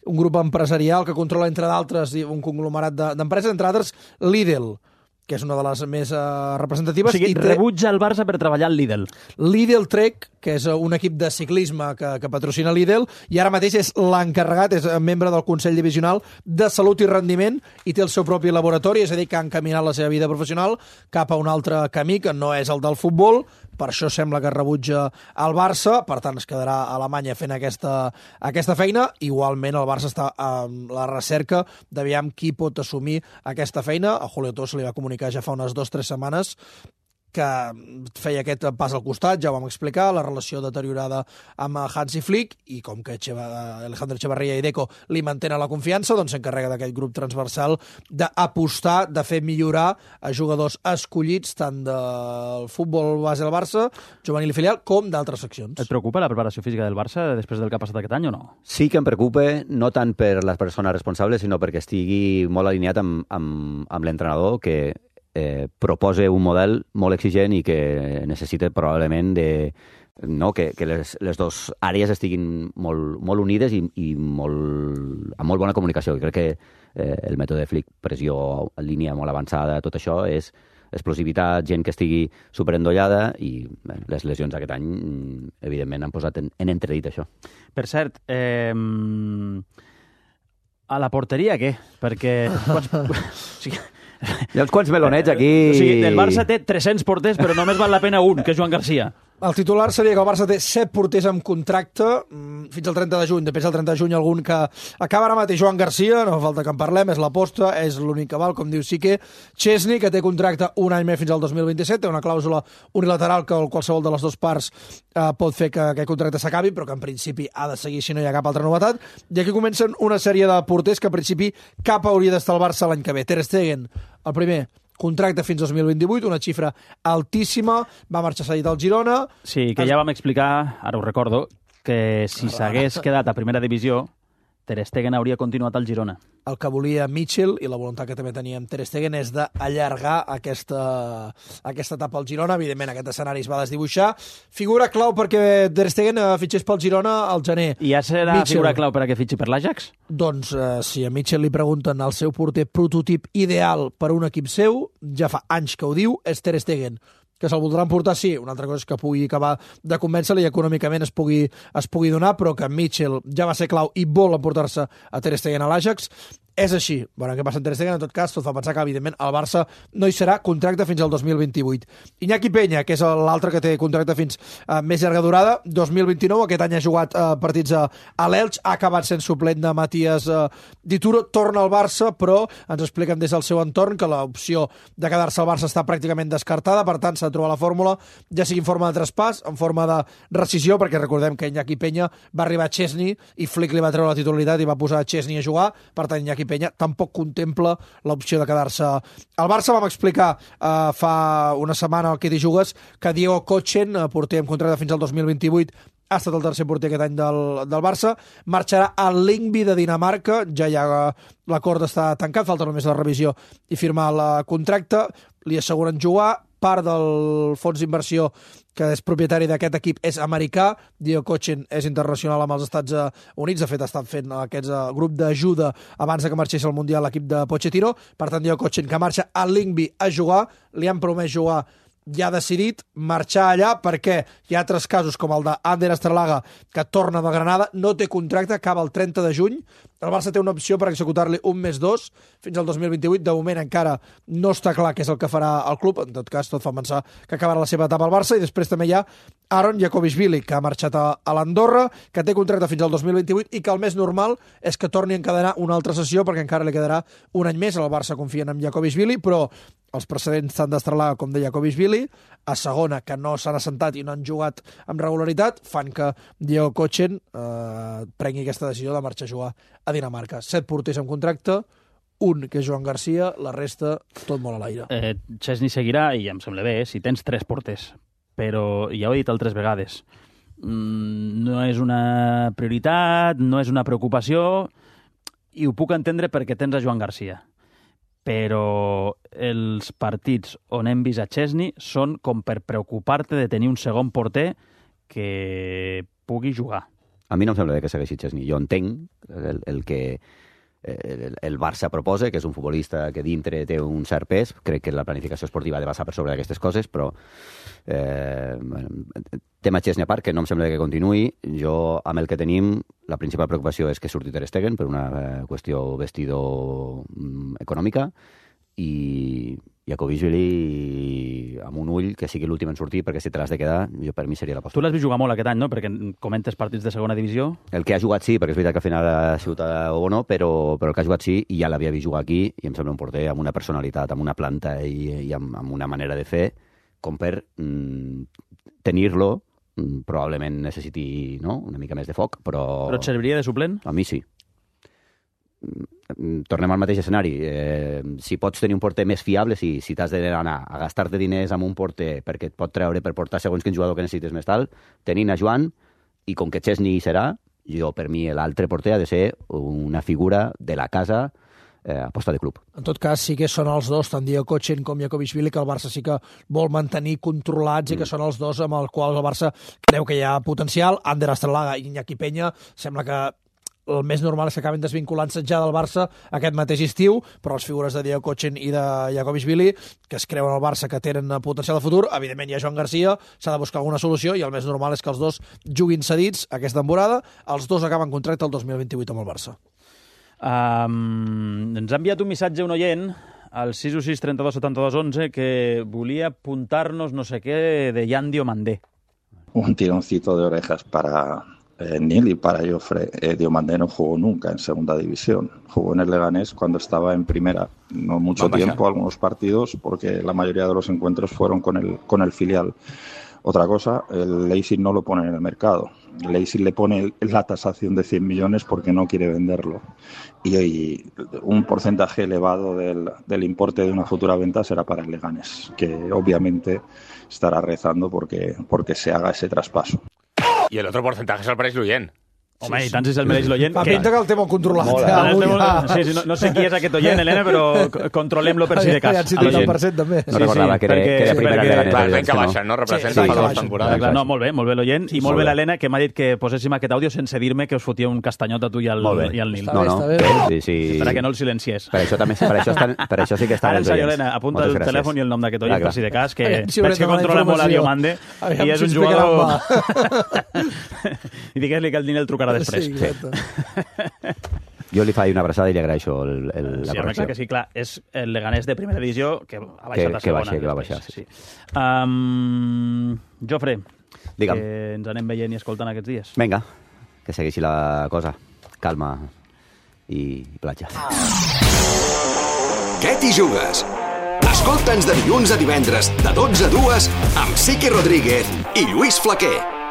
un grup empresarial que controla, entre d'altres, un conglomerat d'empreses, entre altres Lidl, que és una de les més uh, representatives. O sigui, i té... rebutja el Barça per treballar al Lidl. Lidl Trek, que és un equip de ciclisme que, que patrocina Lidl, i ara mateix és l'encarregat, és membre del Consell Divisional de Salut i Rendiment, i té el seu propi laboratori, és a dir, que ha encaminat la seva vida professional cap a un altre camí, que no és el del futbol. Per això sembla que rebutja el Barça, per tant es quedarà a Alemanya fent aquesta, aquesta feina. Igualment el Barça està en la recerca d'aviam qui pot assumir aquesta feina. A Julio Torres se li va comunicar ja fa unes dues o tres setmanes que feia aquest pas al costat, ja ho vam explicar, la relació deteriorada amb Hansi Flick, i com que Cheva, Alejandro Echevarría i Deco li mantenen la confiança, doncs s'encarrega d'aquest grup transversal d'apostar, de fer millorar a jugadors escollits tant del futbol base del Barça, juvenil i filial, com d'altres seccions. Et preocupa la preparació física del Barça després del que ha passat aquest any o no? Sí que em preocupa, no tant per les persones responsables, sinó perquè estigui molt alineat amb, amb, amb l'entrenador, que Eh, propose un model molt exigent i que necessita probablement de, no, que, que les, les dues àrees estiguin molt, molt unides i, i molt, amb molt bona comunicació. I crec que eh, el mètode Flick, pressió en línia molt avançada, tot això és explosivitat, gent que estigui superendollada, i bé, les lesions aquest any, evidentment, han posat en, en entredit això. Per cert, eh, a la porteria què? Perquè... Quants... o sigui, hi ha uns quants melonets aquí... O sigui, el Barça té tres-cents porters, però només val la pena un, que és Joan Garcia. El titular seria que el Barça té set porters amb contracte fins al trenta de juny. Després del trenta de juny algun que acaba ara mateix. Joan Garcia, no fa falta que en parlem, és l'aposta, és l'únic que val, com diu Sique. Chesney, que té contracte un any més fins al dos mil vint-i-set, té una clàusula unilateral que qualsevol de les dues parts eh, pot fer que aquest contracte s'acabi, però que en principi ha de seguir si no hi ha cap altra novetat. I aquí comencen una sèrie de porters que en principi cap hauria d'estar al Barça l'any que ve. Ter Stegen, el primer, contracte fins dos mil vint-i-vuit, una xifra altíssima, va marxar cedit al Girona... Sí, que ja vam explicar, ara ho recordo, que si s'hagués quedat a primera divisió, Ter Stegen hauria continuat al Girona. El que volia Mitchell, i la voluntat que també tenia amb Ter Stegen, és d'allargar aquesta, aquesta etapa al Girona. Evidentment, aquest escenari es va desdibuixar. Figura clau perquè Ter Stegen fitxés pel Girona al gener. I ja serà Mitchell. Figura clau per a que fitxi per l'Ajax? Doncs, eh, si a Mitchell li pregunten el seu porter prototip ideal per a un equip seu, ja fa anys que ho diu, és Ter Stegen. Que se'l voldran portar, sí. Una altra cosa és que pugui acabar de convèncer-li i econòmicament es pugui, es pugui donar, però que Mitchell ja va ser clau i vol emportar-se a Ter Stegen a l'Ajax. És així. Bueno, què passa amb Ter Stegen? En tot cas, tot fa pensar que, evidentment, el Barça no hi serà, contracte fins al dos mil vint-i-vuit. Iñaki Peña, que és l'altre que té contracte fins a més llarga durada, dos mil vint-i-nou, aquest any ha jugat uh, partits a, a l'Elx, ha acabat sent suplent de Matías uh, Dituro, torna al Barça, però ens expliquen des del seu entorn que l'opció de quedar-se al Barça està pràcticament descartada, per tant, s'ha de trobar la fórmula, ja sigui en forma de traspàs, en forma de rescisió, perquè recordem que Iñaki Peña va arribar a Chesney i Flick li va treure la titularitat i va posar Chesney a jugar, per tant, Iñaki Peña tampoc contempla l'opció de quedar-se al Barça. Vam explicar eh, fa una setmana al Qui T'hi Jugues que Diego Kochen, eh, porter amb contracte fins al dos mil vint-i-vuit, ha estat el tercer porter aquest any del, del Barça, marxarà al Lyngby de Dinamarca, ja hi ha l'acord està tancat, falta només la revisió i firmar el contracte, li asseguren jugar, part del fons d'inversió que és propietari d'aquest equip és americà, Diego Kochen és internacional amb els Estats Units, de fet ha estat fent aquest grup d'ajuda abans de que marxés al Mundial l'equip de Pochettino, per tant Diego Kochen que marxa al Lyngby a jugar, li han promès jugar, ja ha decidit marxar allà perquè hi ha altres casos com el d'Ander Estrelaga que torna de Granada, no té contracte, acaba el trenta de juny, el Barça té una opció per executar-li un més dos fins al dos mil vint-i-vuit, de moment encara no està clar què és el que farà el club, en tot cas tot fa pensar que acabarà la seva etapa al Barça, i després també hi ha Aaron Jakovishvili, que ha marxat a, a l'Andorra, que té contracte fins al dos mil vint-i-vuit i que el més normal és que torni a encadenar una altra sessió perquè encara li quedarà un any més, el Barça confien en Jakovishvili, però els precedents tant d'Estrelà com de Jakovičvili, a segona, que no s'han assentat i no han jugat amb regularitat, fan que Diego Kochen eh, prengui aquesta decisió de marxar a jugar a Dinamarca. Set porters amb contracte, un que és Joan Garcia, la resta tot molt a l'aire. Eh, Chesney seguirà, i em sembla bé, eh, si tens tres porters, però ja ho he dit altres vegades, mm, no és una prioritat, no és una preocupació, i ho puc entendre perquè tens a Joan Garcia. Però els partits on hem vist a Chesney són com per preocupar-te de tenir un segon porter que pugui jugar. A mi no em sembla bé que segueixi Chesney. Jo entenc el, el que el, el Barça proposa, que és un futbolista que dintre té un cert pes. Crec que la planificació esportiva ha de basar per sobre d'aquestes coses, però eh, tema Chesney a part, que no em sembla que continuï. Jo, amb el que tenim, la principal preocupació és que surti Ter Stegen per una eh, qüestió vestidor mm, econòmica, i Jakovičvili amb un ull que sigui l'últim en sortir, perquè si te l'has de quedar, jo per mi seria la postura. Tu l'has vist jugar molt aquest any, no? Perquè comentes partits de segona divisió. El que ha jugat sí, perquè és veritat que al final ha sigut o no, però, però el que ha jugat sí, i ja l'havia vist jugar aquí, i em sembla un porter amb una personalitat, amb una planta i, i amb, amb una manera de fer, com per mm, tenir-lo, mm, probablement necessiti, no?, una mica més de foc, però... Però et serviria de suplent? A mi sí. Tornem al mateix escenari. Eh, si pots tenir un porter més fiable, si, si t'has d'anar a gastar-te diners amb un porter perquè et pot treure per portar segons quin jugador que necessites més tal, tenint a Joan, i com que Chesney serà, jo, per mi, l'altre porter ha de ser una figura de la casa eh, a posta de club. En tot cas, sí que són els dos, tant Diego Kochen com Jakovičvili, que el Barça sí que vol mantenir controlats, mm. i que són els dos amb els quals el Barça creu que hi ha potencial. Ander Astralaga i Iñaki Peña, sembla que el més normal és que acaben desvinculant-se ja del Barça aquest mateix estiu, però les figures de Diego Kochen i de Jakovičvili, que es creuen al Barça que tenen potencial de futur, evidentment hi ha Joan Garcia, s'ha de buscar alguna solució, i el més normal és que els dos juguin cedits aquesta temporada. Els dos acaben contracte el dos mil vint-i-vuit amb el Barça. Um, ens ha enviat un missatge un oient al sis u sis trenta-dos setanta-dos onze que volia apuntar-nos no sé què de Jan Diomandé. Un tironcito de orejas para Eh, Nil y para Jofre. Eh, Diomandé no jugó nunca en segunda división. Jugó en el Leganés cuando estaba en primera. No mucho Vamos tiempo, allá. Algunos partidos, porque la mayoría de los encuentros fueron con el, con el filial. Otra cosa, el Leipzig no lo pone en el mercado. El Leipzig le pone la tasación de cien millones porque no quiere venderlo. Y, y un porcentaje elevado del, del importe de una futura venta será para el Leganés, que obviamente estará rezando porque, porque se haga ese traspaso. I el otro porcentaje se'l mereix l'oient. Home, sí, i tant si se'l mereix l'oient. Fa pinta que el té molt controlat. Molt, eh? Avui, ja. Sí, sí, no, no sé qui és aquest oient, Helena, però controlem-lo per si de cas. Ja et citat el percent, també. No recordava que era, perquè, que era primera perquè, Leganés. Clar, l'any que baixa, no? Representa sí, sí, fa dues temporades. Clar, no, molt bé, molt bé l'oient, i molt bé l'Helena, que m'ha dit que poséssim aquest àudio sense dir-me que us fotia un castanyot a tu i al, i al Nil. No, no, sí, sí. Per que no el silencies. Per això, també, per això, estan, per això sí que estan els oients. Helena, apunta el telèfon i el nom d'aquest oient, per si de cas, que veig que controla molt a Diomandé, i és un jugador... I digues-li que el Nil el trucarà després. Jo li faig una abraçada i li agraeixo el, el, la sí, correcció. Que sí, clar, és el Leganés de primera divisió que ha baixat que, a segona. Que, baixa, que va baixar, sí. sí. Um, Jofre, Digue'm. que ens anem veient i escoltant aquests dies. Vinga, que segueixi la cosa. Calma i platja. Què t'hi jugues? Escolta'ns de dilluns a divendres, de dotze a dues, amb Sique Rodríguez i Lluís Flaquer.